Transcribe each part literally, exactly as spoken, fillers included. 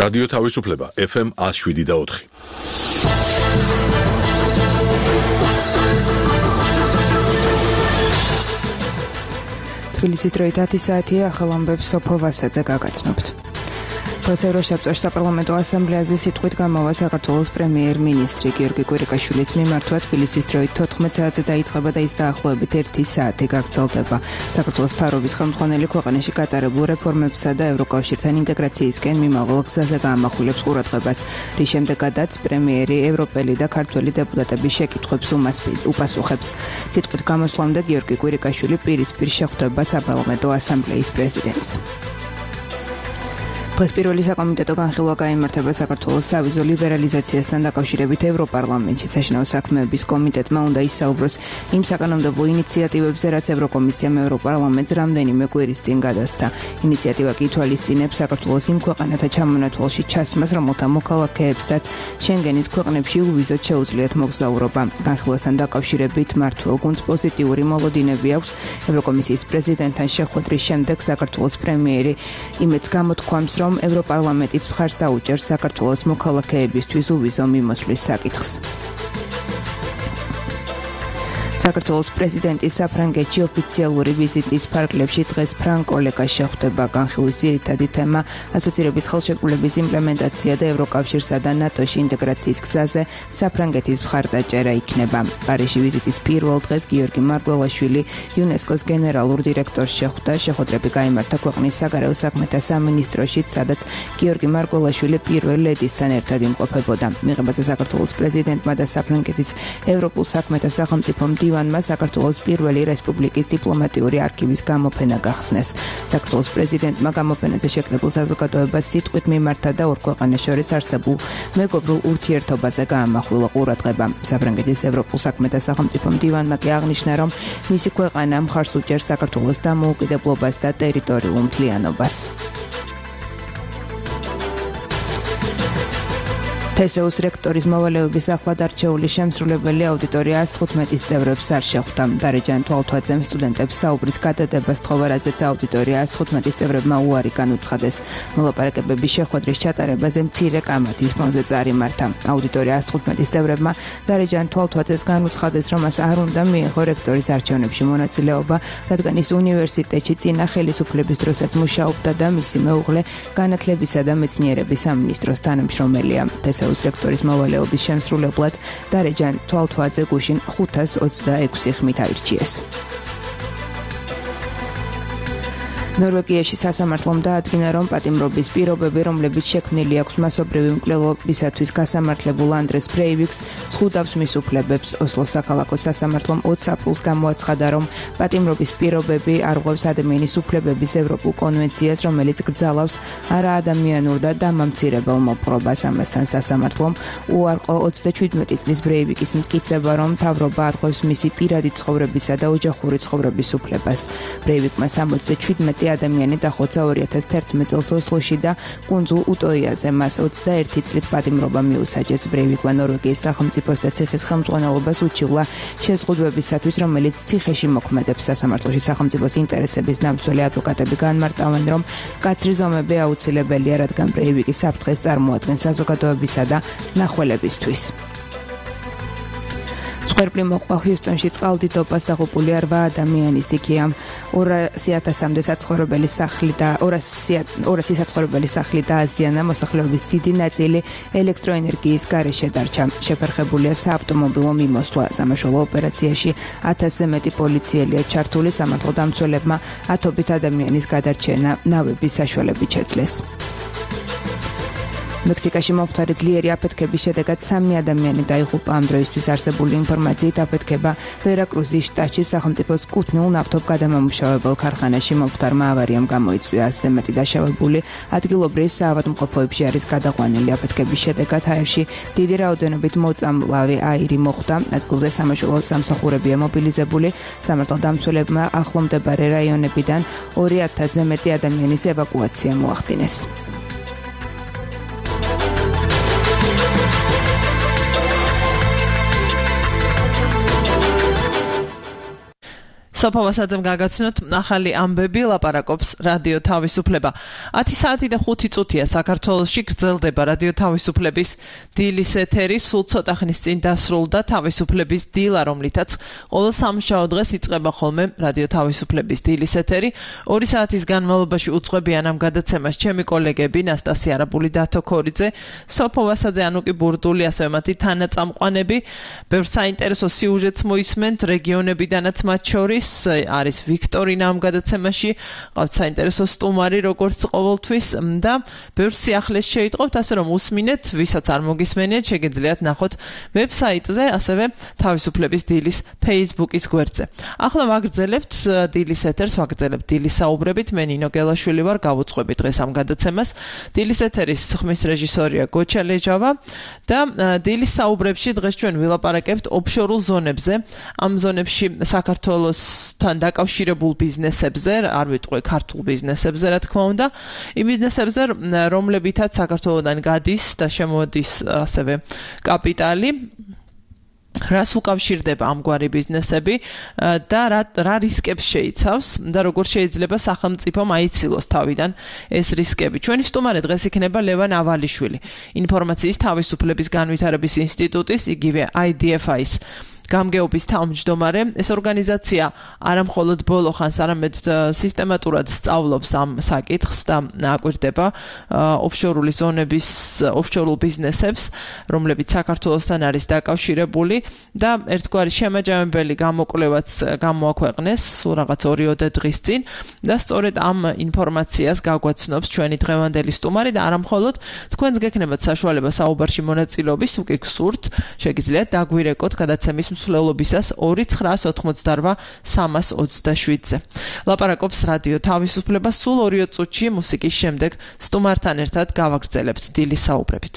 რადიო თავისუფლება ეფ ემ one oh seven და four. თბილისის დროით ათი საათია, ახალ ამბებს სოფო ვასაძე გაგაცნობთ. დღეს ევროსაბჭოს საპარლამენტო ასამბლეაზე სიტყვით გამოვა საქართველოს პრემიერ-მინისტრი გიორგი კვირიკაშვილის მიმართვა თბილისის დროით თოთხმეტ საათზე დაიწყება და ის დაახლოებით ერთი საათი გაგრძელდება. საქართველოს ფარობის ხელმძღვანელი ქვეყანაში გატარებულ რეფორმებსა და ევროკავშირთან ინტეგრაციისკენ მიმავალ გზაზე გაამახვილებს ყურადღებას, რის შემდეგაც პრემიერი ევროპელი და ქართველი დეპუტატების შეკითხვებს უპასუხებს. სიტყვით გამოსვლამდე გიორგი კვირიკაშვილი პირისპირ შეხვდება საპარლამენტო ასამბლეის პრეზიდენტს. დღეს პირველი საკომიტეტო განხილვა გაიმართება საქართველოს სავიზო ლიბერალიზაციასთან დაკავშირებით ევროპარლამენტში. საშინაო საქმეების კომიტეტმა უნდა ისაუბროს იმ საკანონმდებლო ინიციატივებზე, რაც ევროკომისიამ ევროპარლამენტს რამდენიმე კვირის წინ გადასცა. ინიციატივა კი ითვალისწინებს საქართველოს იმ ქვეყანათა ჩამონათვალში ჩასმას, რომელთა მოქალაქეებსაც შენგენის ქვეყნებში უვიზოდ შეუძლიათ მოგზაურობა. განხილვასთან დაკავშირებით მმართველ გუნდს პოზიტიური მოლოდინები აქვს. ევროკომისიის პრეზიდენტთან შეხვედრის შემდეგ საქართველოს პრემიერი იმედს გამოთქვამს, რომ ევროპარლამენტიც მხარს დაუჭერს საქართველოს მოქალაქეებისთვის უვიზო მიმოსვლის საკითხს. საქართველოს პრეზიდენტის საფრანგეთში ოფიციალური ვიზიტის ფარგლებში დღეს ფრანკ ოლეგას შეხვდება. განხილვის ძირითადი თემა ასოცირების ხელშეკრულების იმპლემენტაცია და ევროკავშირსა და ნატოში ინტეგრაციის გზაზე საფრანგეთის მხარდაჭერა იქნება. პარიზში ვიზიტის პირველ დღეს გიორგი მარგველაშვილი იუნესკოს გენერალურ დირექტორს შეხვდა. შეხვედრები გაიმართა ქვეყნის საგარეო საქმეთა სამინისტროშიც, სადაც გიორგი მარგველაშვილი პირველ ლედისთან ერთად იმყოფებოდა. მიღებაზე საქართველოს პრეზიდენტმა და საფრანგეთის ევროპულ საქმეთა სახელმწიფო მდივანმა საქართველოს პირველი რესპუბლიკის დიპლომატიური არქივის გამოფენა გახსნეს. საქართველოს პრეზიდენტმა გამოფენაზე შეკრებულ საზოგადოებას სიტყვით მიმართა და ორ ქვეყანას შორის არსებულ მეგობრულ ურთიერთობაზე გაამახვილა ყურადღება. საფრანგეთის ევროპულ საქმეთა სახელმწიფო მდივანმა კი აღნიშნა, რომ მისი ქვეყანა მხარს უჭერს საქართველოს დამოუკიდებლობას და ტერიტორიულ მთლიანობას. თესეუს რექტორის მოვალეობის ახლად არჩეული შემსრულებელი აუდიტორია one hundred fifteen წევრებს არ შეხვდა. დარეჯან თვალთვაძემ სტუდენტებს საუბრის გადადებას თხოვა, რაზეც აუდიტორია one hundred fifteen წევრებმა უარი განუცხადეს. მოლაპარაკებების შეხვედრის ჩატარებაზე მცირე კამათის ფონზე წარიმართა. აუდიტორია one hundred fifteen წევრებმა დარეჯან თვალთვაძეს განუცხადეს, რომ მას არ უნდა მიეღო რექტორის არჩევნებში მონაწილეობა, რადგან ის უნივერსიტეტში წინა ხელისუფლების დროსაც მუშაობდა და მისი მეუღლე განათლებისა და მეცნიერების სამინისტროს თანამშრომელია. თესეუს რექტორის მოვალეობის შემსრულებლად დარეჯან თვალთვაძე გუშინ ხუთას ოცდაექვსი ხმით აირჩიეს. ნორვეგიაში სასამართლომ დაადგინა, რომ პატიმრობის პირობები, რომლებიც შექმნილი აქვს მასობრივი მკვლელობისათვის გასამართლებულ ანდრეს ბრეივიკს, ზღუდავს მის უფლებებს. ოსლოს საქალაქო სასამართლომ ოცი აპრილს გამოაცხადა, რომ პატიმრობის პირობები არღვევს ადამიანის უფლებების ევროპულ კონვენციას, რომელიც გრძალავს არაადამიანურ და დამამცირებელ მოპყრობას. ამასთან სასამართლომ უარყო ოცდაჩვიდმეტი წლის ბრეივიკის მტკიცება, რომ მთავრობა არღვევს მისი პირადი ცხოვრებისა და ოჯახური ცხოვრების უფლებას. ბრეივიკმა სამოცდაჩვიდმეტი ადამიანი დახოცა ორი ათას თერთმეტ წელს ოსლოში და კუნძულ უტოიაზე მას ოცდაერთი წლით პატიმრობა მიუსაჯეს. ბრეივიკმა ნორვეგიის სახელმწიფოს და ციხის ხელმძღვანელობას უჩივლა შეზღუდვებისათვის, რომელიც ციხეში მოქმედებს. სასამართლოში სახელმწიფოს ინტერესების დამცველი ადვოკატები განმარტავენ, რომ მკაცრი ზომები აუცილებელია, რადგან ბრეივიკი საფრთხეს წარმოადგენს საზოგადოებისა და ნახველებისთვის. სვერპლი მოყვა ჰიუსტონში წყალდიდობას დაღუპული რვა ადამიანის დიქია. ორასი ათასამდე საცხოვრებელი სახლი და ორასი საცხოვრებელი სახლი დააზიანა. მოსახლეობის დიდი ნაწილი ელექტროენერგიის გარეშე დარჩა. შეფერხებულია საავტომობილო მიმოსვლა. სამაშველო ოპერაციაში ათასზე მეტი პოლიციელია ჩართული. სამართალდამცველებმა ათობით ადამიანის გადარჩენა ნავების საშუალებით შეძლეს. მექსიკაში მომხდარი ძლიერი აფეთქების შედეგად სამი ადამიანი დაიღუპა. ამ დროისთვის არსებული ინფორმაციით აფეთქება ვერაკრუზის შტატში სახელმწიფოს კუთვნილ ნავთობგადამამუშავებელ ქარხანაში მომხდარმა ავარიამ გამოიწვია. ასზე მეტი დაშავებული ადგილობრივ საავადმყოფოებში არის გადაყვანილი. აფეთქების შედეგად აირში დიდი რაოდენობით მოწამლავი აირი მოხვდა. ადგილზე სამაშველო სამსახურებია მობილიზებული. სამართალდამცველებმა ახლომდებარე რაიონებიდან ორი ათასზე მეტი ადამიანის ევაკუაცია მოახდინეს. სოფავასაძემ გაგაცნოთ ახალი ამბები ლაპარაკობს რადიო თავისუფლება. ათი საათი და ხუთი წუთია საქართველოში გრძელდება რადიო თავისუფლების დილის ეთერი. სულ ცოტა ხნის წინ დასრულდა თავისუფლების დილა, რომლითაც ყოველ სამშაბათ დღეს იწყება ხოლმე რადიო თავისუფლების დილის ეთერი. ორი საათის განმავლობაში უძღვებიან ამ გადაცემას ჩემი კოლეგები ნასტასია არაბული, დათო ქორიძე, სოფავასაძე, ანუკი ბურდული, ასევე მათი თანაწამყვანები. ბევრ საინტერესო სიუჟეტს მოისმენთ რეგიონებიდანაც მათ შორის არის ვიქტორინა ამ გადაცემაში, ყავთ საინტერესო სტუმარი როგორც ყოველთვის და ბევრ სიახლეს შეიტყობთ, ასე რომ უსმინეთ, ვისაც არ მოგისმენიათ, შეგიძლიათ ნახოთ ვებსაიტზე, ასევე თავისუფლების დილის Facebook-ის გვერდზე. ახლა ვაგრძელებთ დილის ეთერს, ვაგრძელებთ დილის საუბრებით. მე ნინო გელაშვილი ვარ, გავუძღვები დღეს ამ გადაცემას. დილის ეთერის ხმის რეჟისორია გოჩა ლეჯავა და დილის საუბრებში დღეს ჩვენ ვილაპარაკებთ ოფშორულ ზონებზე. ამ ზონებში საქართველოსთან დაკავშირებულ ბიზნესებზე, არ ვიტყვი ქართულ ბიზნესებზე, რა თქმა უნდა, იმ ბიზნესებზე, რომლებითაც საქართველოდან გადის და შემოდის ასევე კაპიტალი. რას უკავშირდება ამგვარი ბიზნესები და რა რა რისკებს შეიცავს და როგორ შეიძლება სახელმწიფომ აიცილოს თავიდან ეს რისკები. ჩვენი სტუმარი დღეს იქნება ლევან ავალიშვილი, ინფორმაციის თავისუფლების განვითარების ინსტიტუტის, იგივე I D F I-ის გამგეობის თავმჯდომარე. ეს ორგანიზაცია არა მხოლოდ ბოლო ხანს, არამედ სისტემატურად სწავლობს ამ საკითხს და აკვირდება ოფშორული ზონების, ოფშორულ ბიზნესებს, რომლებიც საქართველოსთან არის დაკავშირებული და ერთგვარი შემაჯამებელი გამოკვლევაც გამოაქვეყნეს სულ რაღაც ორიოდე დღის წინ და სწორედ ამ ინფორმაციას გაგვაცნობს ჩვენი დღევანდელი სტუმარი და არა მხოლოდ თქვენს გექნებათ საშუალება საუბარში მონაწილეობის, თუ კი გსურთ, შეგიძლიათ დაგვირეკოთ გადაცემის მსვლელობისას ორი ცხრაას ოთხმოცდარვა სამას ოცდაშვიდზე. ლაპარაკობს რადიო თავისუფლება. სულ ორი წუთში მუსიკის შემდეგ სტუმართან ერთად გავაგრძელებთ დილის საუბრებით.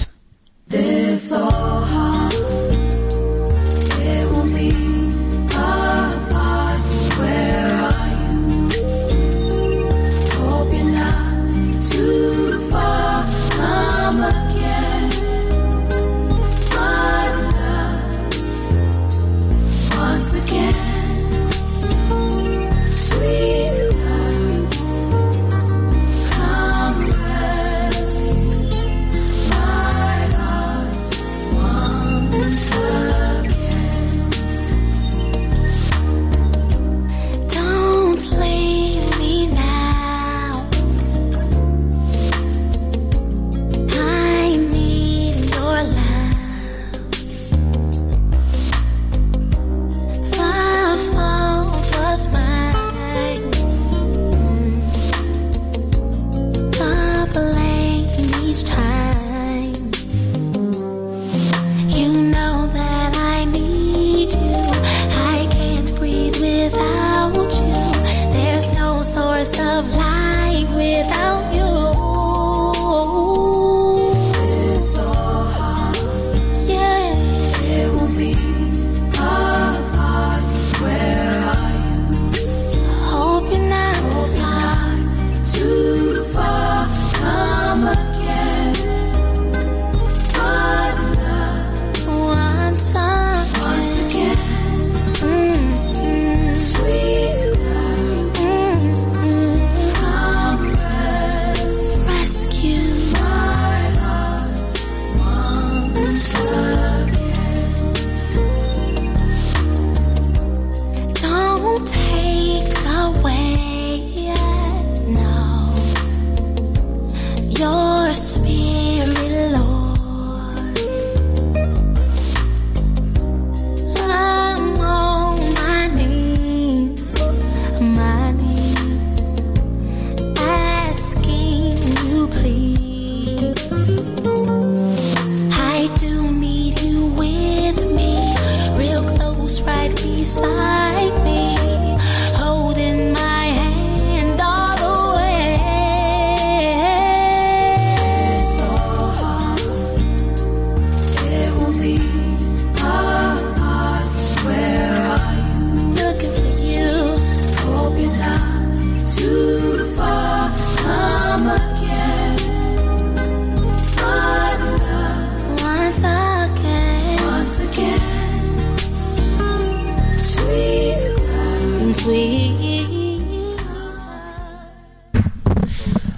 Beside me,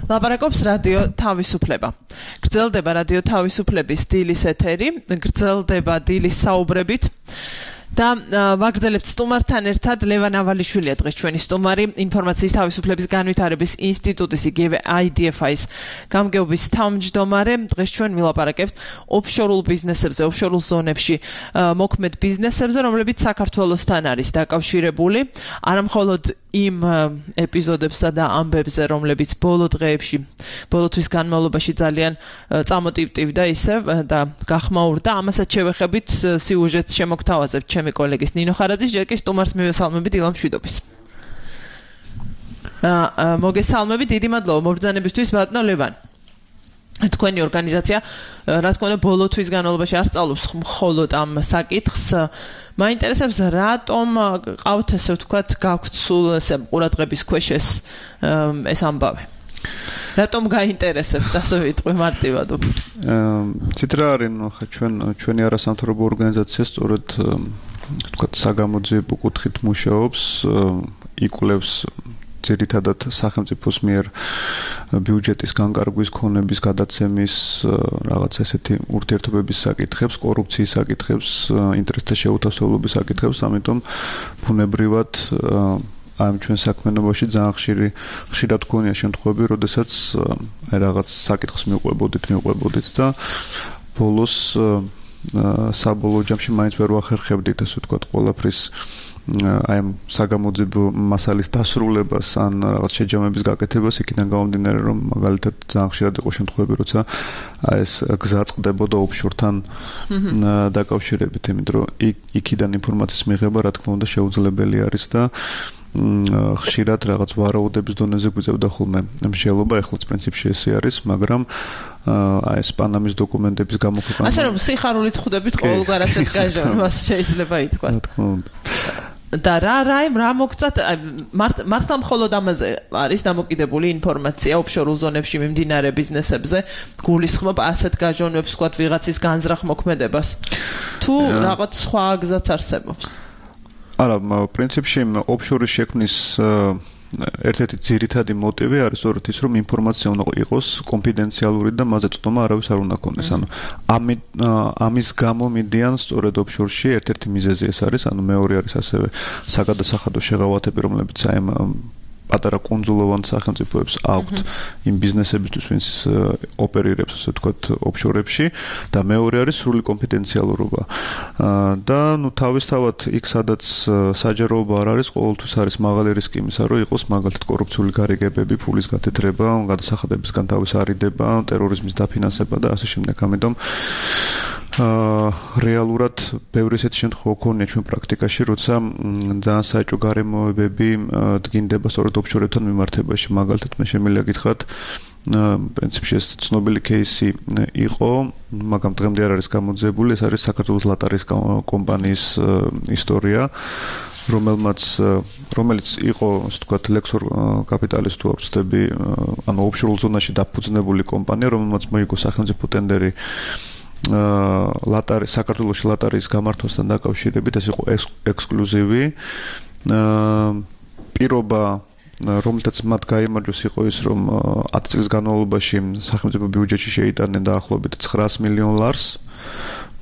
ლაპარაკობს რადიო თავისუფლება. გრძელდება რადიო თავისუფლების დილის ეთერი, გრძელდება დილის საუბრებით. და ვაგრძელებთ სტუმართან ერთად ლევან ავალიშვილია დღეს ჩვენი სტუმარი, ინფორმაციის თავისუფლების განვითარების ინსტიტუტის იგივე I D F I-ს გამგეობის თავმჯდომარე. დღეს ჩვენ ვილაპარაკებთ ოფშორულ ბიზნესებზე, ოფშორულ ზონებში მოქმედ ბიზნესებზე, რომლებიც საქართველოსთან არის დაკავშირებული, არამხოლოდ იმ ეპიზოდებსა და ამბებზე, რომლებიც ბოლო დღეებში, ბოლო თვის განმავლობაში ძალიან წამოტივტივდა ისევ და გახმაურდა. ამასაც შევეხებით სიუჟეტს შემოგთავაზებთ ჩემი კოლეგის ნინო ხარაძის, ჯერ კი სტუმარს მივესალმებით დილა მშვიდობის. აა მოგესალმებით, დიდი მადლობა მობრძანებისთვის ბატონო ლევან. თქვენი ორგანიზაცია, რა თქმა უნდა, ბოლო თვის განმავლობაში არ სწავლობს მხოლოდ ამ საკითხს. მაინტერესებს რატომ ყავთ ესე ვთქვათ გაქვთ სულ ესე ყურადღების ქვეშ ეს ეს ამბავი. რატომ გაინტერესებთ ასე ვიტყვი მარტივად? ცით რა არის, ხა ჩვენ ჩვენი არასამთავრობო ორგანიზაცია სწორედ ვთქვათ საგამოძიებო კუთხით მუშაობს, იკვლევს ძირითადად სახელმწიფოს მიერ ბიუჯეტის განკარგვის ქონების გადაცემის რაღაც ესეთი ურთიერთობების საკითხებს, კორუფციის საკითხებს, ინტერესთა შეუთავსებლობის საკითხებს, ამიტომ ბუნებრივად ამ ჩვენ საქმიანობაში ძალიან ხშირი ხშირად გქონია შემთხვევები, როდესაც აი რაღაც საკითხს მივყვებოდით, მივყვებოდით და ბოლოს საბოლოო ჯამში მაინც ვერ ვახერხებდით, ასე ვთქვათ, ყველაფრის აი ამ საგამოძიებო მასალის დასრულებას ან რაღაც შეჯამების გაკეთებას, იქიდან გამომდინარე, რომ მაგალითად ძალიან ხშირად იყო შემთხვევები, როცა აი ეს გზა წყდებოდა ოფშორთან დაკავშირებით, იმიტომ რომ იქიდან ინფორმაციის მიღება, რა თქმა უნდა, შეუძლებელი არის და ხშირად რაღაც ვარაუდების დონეზე გვიწევდა ხოლმე მსჯელობა, ეხლაც პრინციპში ესე არის, მაგრამ აი ეს პანამის დოკუმენტების გამოქვეყანა. ასე რომ სიხარულით ხვდებით ყოველგვარ ასეთ გაჟონებას შეიძლება ითქვას. რა თქმა უნდა. და რა რა რა მოგწათ მართლა მხოლოდ ამაზე არის დამოკიდებული ინფორმაცია ოფშორულ ზონებში მიმდინარე ბიზნესებზე, გულისხმობ ასეთ გაჟონვებს, ვთქვათ, ვიღაცის განზრახ მოქმედებას. თუ რაღაც სხვა გზაც არსებობს? არა, პრინციპში ოფშორის შექმნის ერთ-ერთი ძირითადი მოტივი არის სწორედ ის, რომ ინფორმაცია უნდა იყოს კონფიდენციალური და მასზე წვდომა არავის არ უნდა ქონდეს. ანუ ამის გამო მიდიან სწორედ ოფშორში ერთ-ერთი მიზეზი ეს არის, ანუ მეორე არის ასევე საგადასახადო შეღავათები, რომლებიც აი ამ პატარა კუნძულოვან სახელმწიფოებს აქვთ იმ ბიზნესებისთვის, ვინც ოპერირებს, ასე ვთქვათ, ოფშორებში და მეორე არის სრული კონფიდენციალურობა. და ნუ თავისთავად იქ სადაც საჯაროობა არ არის, ყოველთვის არის მაღალი რისკი იმისა, რომ იყოს მაგალითად კორუფციული გარიგებები, ფულის გათეთრება, გადასახადებისგან თავის არიდება, ტერორიზმის დაფინანსება და ასე შემდეგ. ამიტომ რეალურად ბევრი ესეთი შემთხვევა ქონია ჩვენ პრაქტიკაში, როცა ძალიან საეჭვო გარემოებები დგინდება სწორედ ოფშორებთან მიმართებაში. მაგალითად, მე შემიძლია გითხრათ, პრინციპში ეს ცნობილი кейსი იყო, მაგრამ დღემდე არ არის გამოძიებული, ეს არის საქართველოს ლატარის კომპანიის ისტორია, რომელმაც რომელიც იყო, ასე ვთქვათ, ლექსორ კაპიტალის თუ ვწდები, ანუ ოფშორულ ზონაში დაფუძნებული კომპანია, რომელმაც მოიგო სახელმწიფო ტენდერი ლატარი საქართველოს ლატარის გამართვასთან დაკავშირებით, ეს იყო ექსკლუზივი პირობა, რომელთაც მათ გაიმარჯვეს, იყო ის, რომ ათი წლის განმავლობაში სახელმწიფო ბიუჯეტში შეიტანენ დაახლოებით ცხრაას მილიონ ლარს,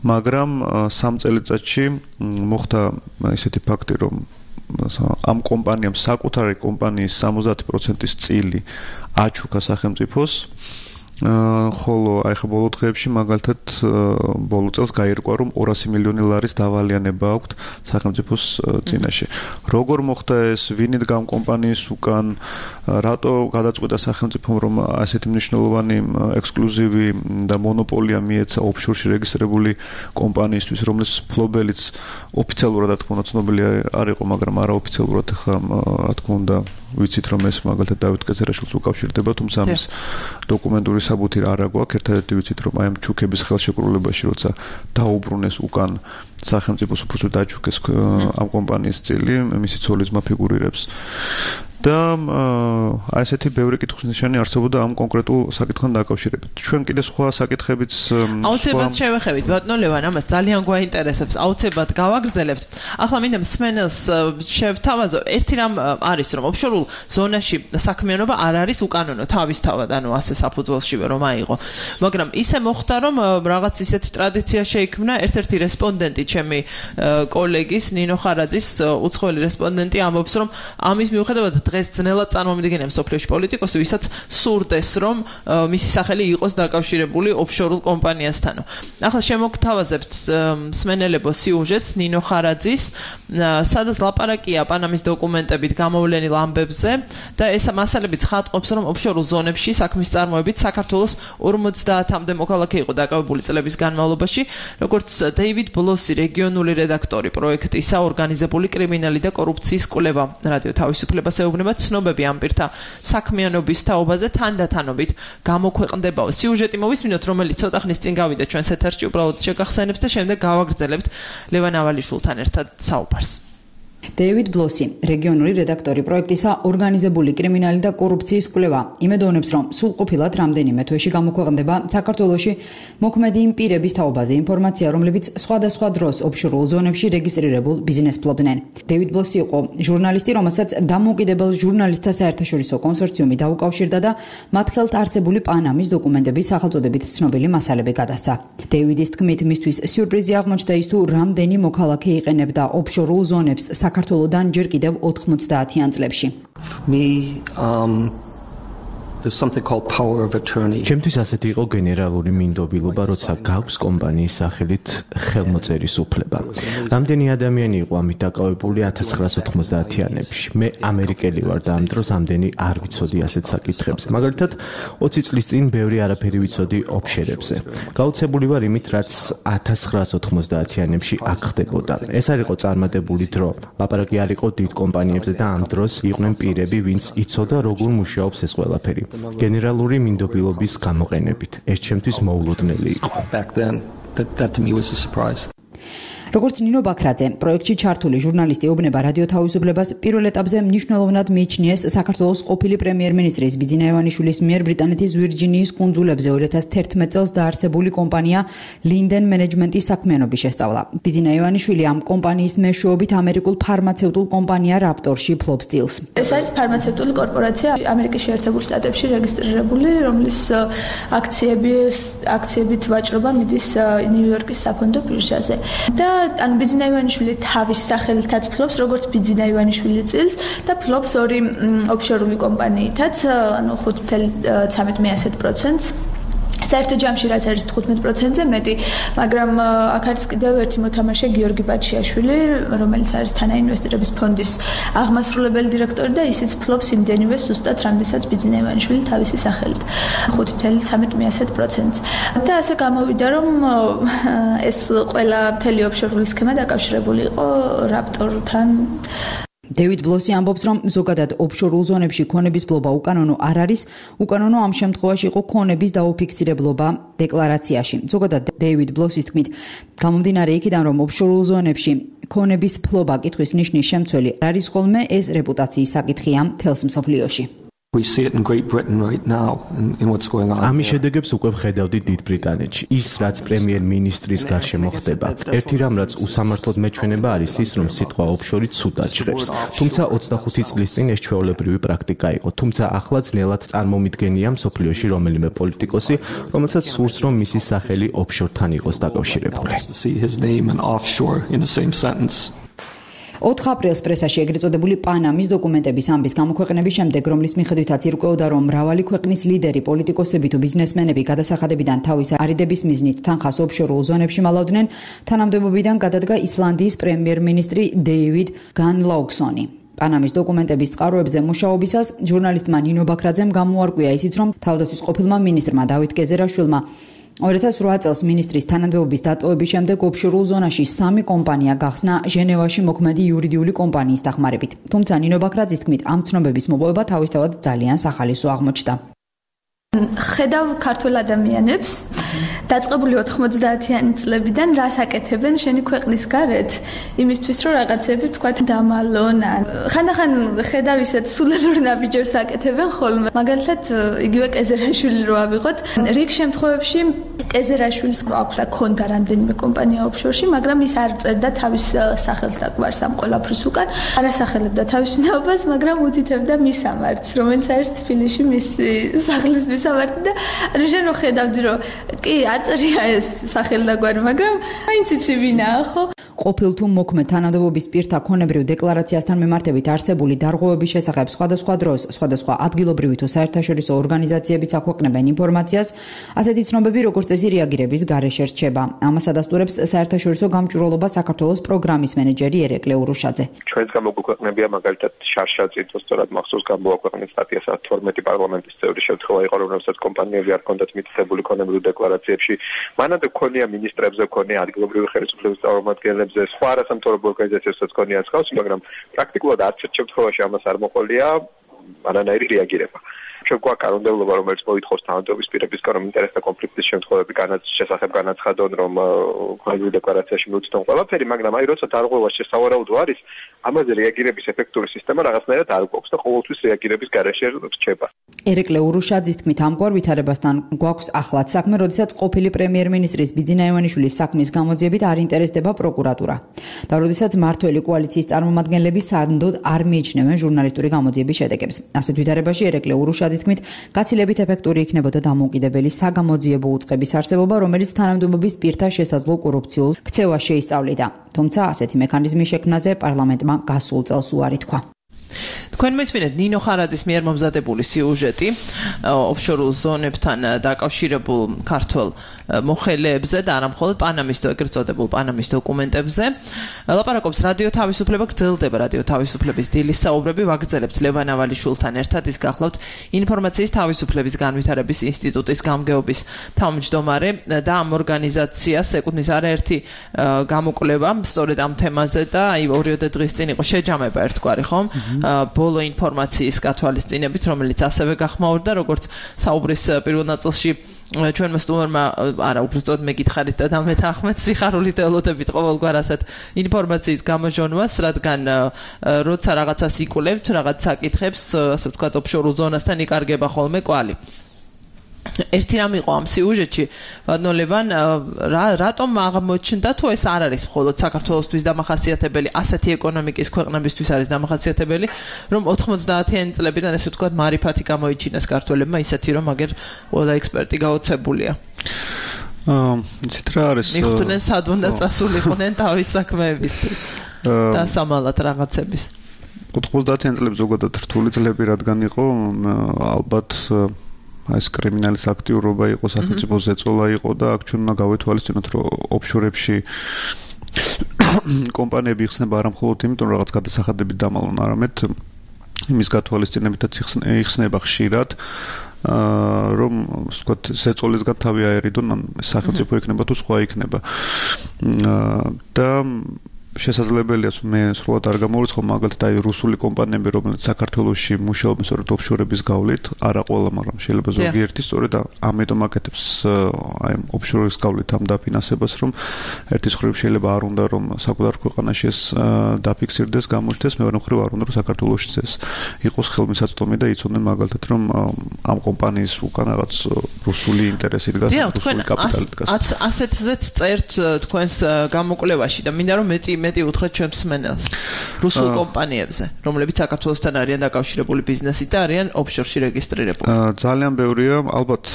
მაგრამ სამ წელიწადში მოხდა ისეთი ფაქტი, რომ ამ კომპანიამ საკუთარი კომპანიის სამოცდაათი პროცენტის წილი აჩუქა სახელმწიფოს, ხოლო აი ხა ბოლო დღეებში მაგალითად ბოლო წელს გაირკვა, რომ ორასი მილიონი ლარის დავალიანება აქვს სახელმწიფოს წინაშე. როგორ მოხდა ეს, ვინ იდგა ამ კომპანიის უკან, რატო გადაწყვიტა სახელმწიფომ, რომ ასეთი მნიშვნელოვანი ექსკლუზივი და მონოპოლია მიეცა ოფშორში რეგისტრირებული კომპანიისთვის, რომლის ფლობელიც ოფიციალურად რა თქმა უნდა ცნობილი არ იყო, მაგრამ არაოფიციალურად ხა რა თქმა უნდა ვიცით, რომ ეს მაგალითად დავით კეცერაშვილს უკავშირდება, თუმცა ამის დოკუმენტური საბუთი არ აგვაქვს. ერთადერთი ვიცით, რომ აი ამ ჩუქების ხელშეკრულებაში, როცა დაუბრუნეს უკან სახელმწიფოს უბრალოდ დაჩუქეს ამ კომპანიის წილი, მისი ცოლის ძმა ფიგურირებს. და აი ესეთი ბევრი კითხვის ნიშანი არსებობდა ამ კონკრეტულ საკითხთან დაკავშირებით. ჩვენ კიდე სხვა საკითხებიც აუცილებლად შევეხებით ბატონო ლევან, ამას ძალიან გვაინტერესებს, აუცილებლად გავაგრძელებთ. ახლა მინდა მსმენელს შევთავაზო, ერთი რამ არის, რომ ოფშორულ ზონაში საქმიანობა არ არის უკანონო თავისთავად, ანუ ასე საფუძველშივე რომ აიღო. მაგრამ ისე მოხდა, რომ რაღაც ისეთი ტრადიცია შეიქმნა, ერთ-ერთი რესპონდენტი, ჩემი კოლეგის ნინო ხარაძის უცხოელი რესპონდენტი ამბობს, რომ ამის მიუხედავად დღეს ძნელად წარმომიდგენია მსოფლიოში პოლიტიკოსი, ვისაც სურდეს, რომ მისი სახელი იყოს დაკავშირებული ოფშორულ კომპანიასთან. ახლა შემოგთავაზებთ მსმენელებო სიუჟეტს ნინო ხარაძის, სადაც ლაპარაკია პანამის დოკუმენტებით გამოვლენილ ამბებზე და ეს მასალებიც ხატყობს, რომ ოფშორულ ზონებში საქმის წარმოებით საქართველოს ორმოცდაათამდე მოქალაქე იყო დაკავებული წლების განმავლობაში, როგორც დეივიდ ბლოსი, რეგიონული რედაქტორი პროექტისა ორგანიზებული კრიმინალი და კორუფციის კვლევა რადიო თავისუფლებას ეუბნება ცნობები ამ პირთა საქმიანობის თაობაზე თანდათანობით გამოქვეყნდებაო. სიუჟეტი მოვისმინოთ, რომელიც ცოტა ხნის წინ გავიდა ჩვენს ეთერში, უბრალოდ შეგახსენებთ და შემდეგ გავაგრძელებთ ლევან ავალიშვილთან ერთად საუბარს. დეივიდ ბლოსი, რეგიონული რედაქტორი პროექტისა ორგანიზებული კრიმინალი და კორუფციის კვლევა, იმედოვნებს, რომ სრულყოფილად რამდენიმე თვეში გამოქვეყნდება საქართველოში მოქმედი იმ პირების თაობაზე ინფორმაცია, რომლებიც სხვადასხვა დროს ოფშორულ ზონებში რეგისტრირებულ ბიზნესს ფლობდნენ. დეივიდ ბლოსი იყო ჟურნალისტი, რომელსაც დამოუკიდებელ ჟურნალისტთა საერთაშორისო კონსორციუმი დაუკავშირდა და მათ ხელთ არსებული პანამის დოკუმენტების სახელწოდებით ცნობილი მასალები გადასცა. დეივიდის თქმით, მისთვის სიურპრიზი აღმოჩნდა ის, თუ რამდენი მოქალაქე იყენებდა ოფშორულ ზონებს საქართველოდან ჯერ კიდევ ოთხმოცდაათიან წლებში. Me um there's something called power of attorney. ჩემთვის ასეთი იყო გენერალური მინდობილობა, როცა გაქვს კომპანიის სახელით ხელმოწერის უფლება. რამდენი ადამიანი იყო ამით დაკავებული ათას ცხრაას ოთხმოცდაათიანებში. მე ამერიკელი ვარ და ამ დროს ამდენი არ ვიცოდი ასეთ საკითხებზე. მაგალითად, ოცი წლის წინ ბევრი არაფერი ვიცოდი ოფშერებზე. გაუცებული ვარ იმით, რაც ათას ცხრაას ოთხმოცდაათიანებში აქ ხდებოდა. ეს არ იყო წარმატებული დრო. ლაპარაკი არ იყო დიდ კომპანიებზე და ამ დროს იყვნენ პირები, ვინც იცოდა როგორ მუშაობს ეს ყველაფერი. გენერალური მინდობილობის გამოყენებით. ეს ჩემთვის მოულოდნელი იყო. Back then that that to me was a surprise. როგორც ნინო ბაქრაძე, პროექტში ჩართული ჟურნალისტი ეუბნება რადიო თავისუფლებას პირველ ეტაპზე მნიშვნელოვნად მიიჩნიეს საქართველოს ყოფილი პრემიერ-მინისტრის ბიძინა ივანიშვილის მიერ ბრიტანეთის ვირჯინიის კუნძულებზე ორი ათას თერთმეტ წელს დაარსებული კომპანია ლინდენ მენეჯმენტის საქმიანობის შესწავლა. ბიძინა ივანიშვილი ამ კომპანიის მეშვეობით ამერიკულ ფარმაცევტულ კომპანია რაპტორში ფლობს წილს. ეს არის ფარმაცევტული კორპორაცია ამერიკის შეერთებულ შტატებში რეგისტრირებული, რომლის აქციები აქციებით ვაჭრობა მიდის ნიუ-იორკის საფონდო ბირჟაზე. და ან ბიძინა ივანიშვილი თავის სახელითაც ფლობს, როგორც ბიძინა ივანიშვილი წილს და ფლობს ორი ოფშორული კომპანიითაც, ანუ ხუთ წუთი ცხრამეტ პროცენტს. საერთო ჯამში რაც არის თხუთმეტ პროცენტზე მეტი, მაგრამ აქ არის კიდევ ერთი მოთამაშე გიორგი ბაჩიაშვილი, რომელიც არის თანაინვესტირების ფონდის აღმასრულებელი დირექტორი და ისიც ფლობს იმდენივე ზუსტად, რამდენსაც ბიძინა ივანიშვილი თავისი სახელით, ხუთ წუთი ცხრამეტ პროცენტს. და ასე გამოვიდა, რომ ეს ყველა მთელი ოფშორული სქემა დაკავშირებული იყო რაპტორთან. დეივიდ ბლოსი ამბობს, რომ ზოგადად ოფშორულ ზონებში ქონების ფლობა უკანონო არ არის, უკანონო ამ შემთხვევაში იყო ქონების დაუფიქსირებლობა დეკლარაციაში. ზოგადად დეივიდ ბლოსის თქმით, გამომდინარე იქიდან, რომ ოფშორულ ზონებში ქონების ფლობა კითხვის ნიშნის შემცველი არის ხოლმე, ეს რეპუტაციის საკითხია მთელს მსოფლიოში. We see it in Great Britain right now in, in what's going on. ამის შედეგებს უკვე ვხედავდით დიდ ბრიტანეთში. ის რაც პრემიერ-მინისტრის გარშემო ხდება. ერთი რამ რაც უსამართლოდ მეჩვენება არის ის, რომ სიტყვა ოფშორი ცუდად ჟღერს. თუმცა ოცდახუთი წლის წინ ეს ჩვეულებრივი პრაქტიკა იყო. თუმცა ახლა ძნელად წარმომიდგენია მსოფლიოში რომელიმე პოლიტიკოსი, რომელსაც სურს, რომ მისი სახელი ოფშორთან იყოს დაკავშირებული. ოთხ აპრილს პრესაში ეგრეთ წოდებული პანამის დოკუმენტების ამბის გამოქვეყნების შემდეგ, რომლის მიხედვითაც ირკვეოდა, რომ მრავალი ქვეყნის ლიდერი, პოლიტიკოსები თუ ბიზნესმენები გადასახადებიდან თავის არიდების მიზნით თანხას ოფშორულ ზონებში მალავდნენ, თანამდებობიდან გადადგა ისლანდიის პრემიერ-მინისტრი დეივიდ განლაუგსონი. პანამის დოკუმენტების წყაროებზე მუშაობისას ჟურნალისტმა ნინო ბაქრაძემ გამოარკვია ისიც, რომ თავდაცვის ყოფილმა მინისტრმა დავით გეზერაშვილმა ორი ათას ოთხ წელს მინისტრის თანამდებობის დატოვების შემდეგ ოფშორულ ზონაში სამი კომპანია გახსნა ჟენევაში მოქმედი იურიდიული კომპანიის დახმარებით. თუმცა ნინო ბაქრაძის თქმით, ამ ცნობების მოპოვება თავისთავად ძალიან სახალისო აღმოჩნდა. ხედავ ქართულ ადამიანებს დაწყებული ოთხმოცდაათიანი წლებიდან რას აკეთებენ შენი ქვეყნის გარეთ იმისთვის რომ რაღაცები თქვა დამალონ ხანდახან ხედავ ისეთ სულელურ ნაბიჯებს აკეთებენ ხოლმე მაგალითად იგივე კეზერაშვილი რო ავიღოთ რიგ შემთხვევებში კეზერაშვილს აქვს აქონდა რამდენიმე კომპანია ოფშორში მაგრამ ის არ წერდა თავის სახელს და გვარს ამ ყველაფრის უკან არ ასახელებდა თავის ვინაობას მაგრამ უთითებდა მის სამართს რომელიც არის თბილისში მის სახლის მისამართი და ანუ შენ რო ხედავდი რომ კი არ წერია ეს სახელი და გვარი მაგრამ მაინც იცი ვინაა ხო ყოფილ თუ მოქმედ თანამდებობის პირთა ქონებრივ დეკლარაციასთან მიმართებით არსებული დარღვევების შესახებ სხვადასხვა დროს სხვადასხვა ადგილობრივი თუ საერთაშორისო ორგანიზაციებიც აქვეყნებენ ინფორმაციას ასეთი ცნობები როგორც წესი რეაგირების გარეშე რჩება ამას ადასტურებს საერთაშორისო გამჭვირვალობა საქართველოს პროგრამის მენეჯერი ერეკლე ურუშაძე ჩვენს გამოგვექვეყნებია მაგალითად შარშა წითოს სწორად მახსოვს გამოაქვეყნეთ სტატია თორმეტი პარლამენტის წევრის შემთხვევა იყო რომელსაც კომპანიები არ ჰქონდათ მითითებული ქონებრივ დეკლარაციებში მანამდე ქონია მინისტრებზე ქონია ადგილობრივი ხელისუფლების წარმომადგენლებზე სხვა არასამთავრობო ორგანიზაციებსაც ქონია ხავს მაგრამ პრაქტიკულად არც ერთ შემთხვევაში ამას არ მოყოლია არანაირი რეაგირება ჩვენ გვაქვს კანონმდებლობა რომელიც მოითხოვს თანამდებობის პირებისგან რომ ინტერესთა კონფლიქტის შემთხვევები განაც შესახებ განაცხადონ რომ ქონებრივ დეკლარაციაში მიუწვდონ ყველაფერი მაგრამ აი როცა დარღვევა შესავარაუდო არის ამაზე რეაგირების ეფექტური სისტემა რაღაცნაირად არ გვაქვს და ყოველთვის რეაგირების გარეშე რჩება ერეკლე ურუშაძის თქმით ამგვარ ვითარებასთან გვაქვს ახლად საქმე როდესაც ყოფილი პრემიერ-მინისტრის ბიძინა ივანიშვილის საქმის გამოძიებით არ ინტერესდება პროკურატურა და როდესაც მმართველი კოალიციის წარმომადგენლები სანდოდ არ მიიჩნევენ ჟურნალისტური გამოძიების შედეგებს ასეთ ვითარებაში ერეკლე ურუშაძის თქმით გაცილებით ეფექტური იქნებოდა დამოუკიდებელი საგამოძიებო უწყების არსებობა რომელიც თანამდებობის პირთა შესაძლო კორუფციულ ქცევას შეისწავლიდა თუმცა ასეთი მექანიზმის შექმნაზე პარლამენტმა გასულ წელს უარი თქვა თქვენ მოისმინეთ ნინო ხარაძის მიერ მომზადებული სიუჟეტი ოფშორულ ზონებთან დაკავშირებულ ქართულ მოხელეებზე და არა მხოლოდ პანამის ეგრეთ წოდებულ პანამის დოკუმენტებზე ლაპარაკობს რადიო თავისუფლება გრძელდება რადიო თავისუფლების დილის საუბრები ვაგრძელებთ ლევან ავალიშვილთან ერთად ის გახლავთ ინფორმაციის თავისუფლების განვითარების ინსტიტუტის გამგეობის თავმჯდომარე და ამ ორგანიზაციას ეკუთვნის არაერთი გამოკვლევა სწორედ ამ თემაზე და აი ორიოდე დღის წინ იყო შეჯამება ერთგვარი ხომ ბოლო ინფორმაციის გათვალისწინებით რომელიც ასევე გახმაურდა როგორც საუბრის პირველ ნაწილში ჩვენმა სტუმარმა არა უბრალოდ მეკითხარით და დამეთანხმეთ სიხარულით ელოდებით ყოველგვარ ასეთ ინფორმაციის გამოჟონვას რადგან როცა რაღაცას იკვლევთ რაღაც საკითხებს ასე ვთქვათ ოფშორულ ზონასთან იკარგება ხოლმე კვალი ერთი რამ იყო ამ სიუჟეტში ვადნოლევან რატომ აღმოჩნდა თუ ეს არ არის მხოლოდ საქართველოსთვის დამახასიათებელი ასეთი ეკონომიკის ქვეყნებისთვის არის დამახასიათებელი რომ ოთხმოცდაათიანი წლებიდან ესე ვთქვათ მარიფათი გამოიჩინეს ქართველებმა ისეთი რომ აგერ ყველა ექსპერტი გაოცებულია აა იცით რა არის მიხვდნენ სად უნდა წასულიყვნენ თავის საქმეებისთვის და სამალად რაღაცების ოთხმოცდაათიანი წლები ზოგადად რთული წლები რადგან იყო ალბათ ეს კრიმინალის აქტიურობა იყო სახელმწიფოს ზეწოლა იყო და აქ ჩვენ უნდა გავეთვალისწინოთ რომ ოფშორებში კომპანიები იხსნება არა მხოლოდ იმიტომ რომ რაღაც გადასახადებით დამალონ არამედ იმის გათვალისწინებითაც იხსნება ხშირად რომ ვთქვათ ზეწოლისგან თავი აერიდონ ან სახელმწიფო იქნება თუ სხვა იქნება და შესაძლებელია მე სრულად არ გამოვიწყო მაგალითად აი რუსული კომპანიები რომელიც საქართველოში მუშაობენ სწორედ ოფშორების გავლით არა ყველა მაგრამ შეიძლება ზოგიერთი სწორედ ამიტომ აკეთებს აი ოფშორის გავლით ამ დაფინანსებას რომ ერთის მხრივ შეიძლება არ უნდა რომ საკუთარ ქვეყანაში ეს დაფიქსირდეს გამოჩნდეს მეორე მხრივ არ უნდა რომ საქართველოში ეს იყოს ხელმისაწვდომი და იცოდნენ მაგალითად რომ ამ კომპანიის უკან რაღაც რუსული ინტერესი დგას რუსული კაპიტალი დგას ასეთზეც წერთ თქვენს გამოკვლევაში და მინდა რომ მეტი მეტი უთხრეთ ჩვენს მსმენელს რუსულ კომპანიებზე, რომლებიც საქართველოსთან არიან დაკავშირებული ბიზნესით და არიან ოფშორში რეგისტრირებული. ძალიან ბევრია, ალბათ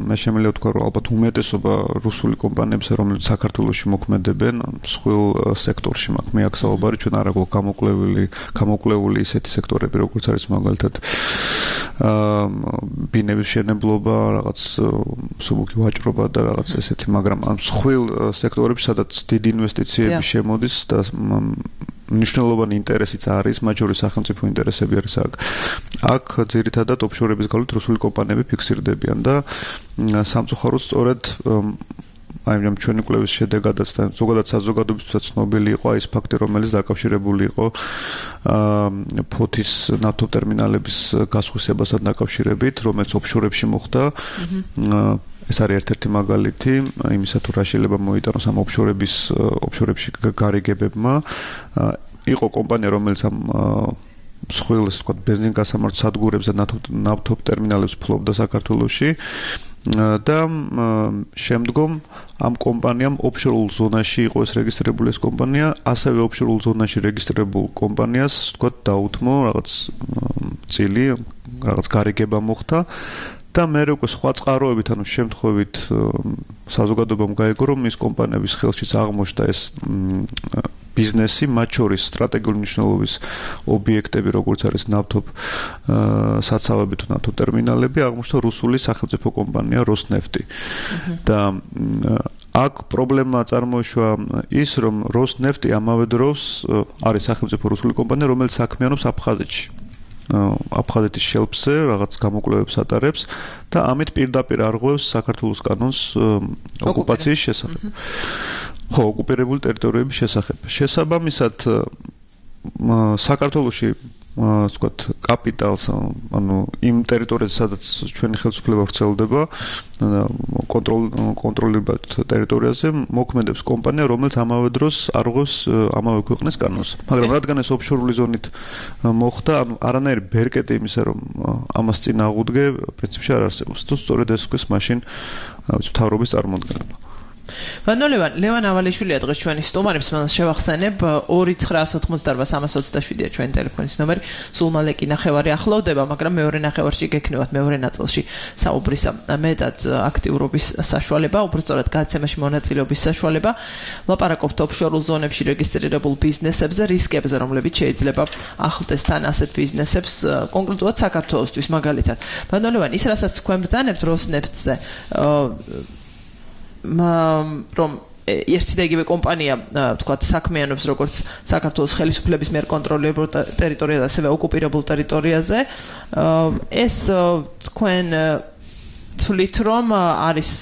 მე შემიძლია ვთქვა, რომ ალბათ უმეტესობა რუსული კომპანიებზე, რომლებიც საქართველოში მოქმედებენ, მსხვილ სექტორში მაქვს მე აქ საუბარი, ჩვენ არ აქვს გამოკვლეული, გამოკვლეული ისეთი სექტორები, როგორც არის მაგალითად აა ბინების შენებლობა, რაღაც მსუბუქი ვაჭრობა და რაღაც ესეთი, მაგრამ ამ მსხვილ სექტორებში, სადაც დიდი ინვესტიციები შემოდის და მნიშვნელოვანი ინტერესიც არის, მაჯორი სახელმწიფო ინტერესები არის აქ. აქ ძირითადად ოფშორების გავლით რუსული კომპანიები ფიქსირდებიან და სამწუხაროდ სწორედ აი ამ ჩვენი კვლევის შედეგადაც და ზოგადად საზოგადოებისთვის ცნობილი იყო ეს ფაქტი, რომელიც დაკავშირებული იყო ფოთის ნავთობ ტერმინალების გასხვისებასთან დაკავშირებით, რომელიც ოფშორებში მოხდა. ეს არის ერთ-ერთი მაგალითი იმისა, თუ რა შეიძლება მოიტანოს ამ ოფშორების ოფშორებში გარიგებებმა. იყო კომპანია, რომელიც ამ მსხვილ, ასე ვთქვათ, ბენზინგასამართ სადგურებს და ნავთობ ტერმინალებს ფლობდა საქართველოში. და შემდგომ ამ კომპანიამ ოფშორულ ზონაში იყო ეს რეგისტრირებული ეს კომპანია, ასევე ოფშორულ ზონაში რეგისტრირებულ კომპანიას, ვთქვათ, დაუთმო რაღაც წილი, რაღაც გარიგება მოხდა და მე უკვე სხვა წყაროებით, ანუ შემთხვევით საზოგადოებამ გაიგო, რომ ის კომპანიების ხელშიც აღმოჩნდა ეს ბიზნესი, მათ შორის სტრატეგიული მნიშვნელობის ობიექტები, როგორც არის ნავთობ საცავები თუ ნავთობ ტერმინალები, აღმოჩნდა რუსული სახელმწიფო კომპანია როსნეფტი. და აქ პრობლემა წარმოიშვა ის, რომ როსნეფტი ამავე დროს არის სახელმწიფო რუსული კომპანია, რომელიც საქმიანობს აფხაზეთში. აფხაზეთის შელფზე რაღაც გამოკვლევებს ატარებს და ამით პირდაპირ არღვევს საქართველოს კანონს ოკუპაციის შესახებ. ხო, ოკუპირებული ტერიტორიების შესახებ. შესაბამისად, საქართველოში, ასე ვთქვათ, კაპიტალს, ანუ იმ ტერიტორიაზე, სადაც ჩვენი ხელისუფლება ვრცელდება, კონტროლირებად ტერიტორიაზე მოქმედებს კომპანია, რომელიც ამავე დროს არღვევს ამავე ქვეყნის კანონს. მაგრამ რადგან ეს ოფშორული ზონით მოხდა, ანუ არანაირი ბერკეტი იმისა, რომ ამას წინ აღუდგე, პრინციპში არ არსებობს. თუ სწორედ ეს ვქოს, მაშინ მთავრობის წარმოადგენება. Vano Levan, Levan Avalishvili დღეს ჩვენი სტუმარებს მას შევახსენებ ორი ცხრა ოცდაოთხმოცდაარბა სამას ოცდაშვიდია ჩვენი ტელეფონის ნომერი. სულ მალე კი ნახევარი ახლოვდება, მაგრამ მეორე ნახევარში გექნებათ მეორე ნაწილში საუბრისა მეტად აქტიურობის საშუალება, უბრალოდ გადაცემაში მონაწილეობის საშუალება. ლაპარაკობთ ოფშორულ ზონებში რეგისტრირებულ ბიზნესებზე, რისკებზე, რომლებიც შეიძლება ახლდეს თან ასეთ ბიზნესებს, კონკრეტულად საქართველოსთვის მაგალითად. Vano Levan, ის რასაც თქვენ ბრძანებთ როსნეფტზე, რომ ერთი და იგივე კომპანია, ვთქვათ, საქმიანობს როგორც საქართველოს ხელისუფლების მიერ კონტროლირებულ ტერიტორიაზე, ასევე ოკუპირებულ ტერიტორიაზე. ეს თქვენ თვლით, რომ არის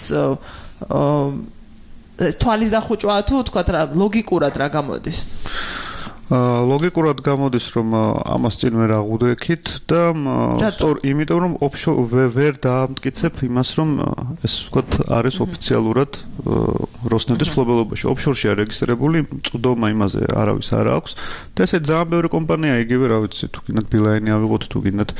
თვალის დახუჭვა თუ ვთქვათ, ლოგიკურად რა გამოდის? ლოგიკურად გამოდის, რომ ამას წინ ვერ აღუდგეთ და სწორ იმიტომ, რომ ოფშორ ვერ დაამტკიცებ იმას, რომ ეს ვთქვათ არის ოფიციალურად როსნეფტის მფლობელობაში. ოფშორში არის რეგისტრირებული, წვდომა იმაზე არავის არ აქვს და ესე ძალიან ბევრი კომპანია, იგივე, რა ვიცი, თუ გინდათ ბილაინი ავიღოთ, თუ გინდათ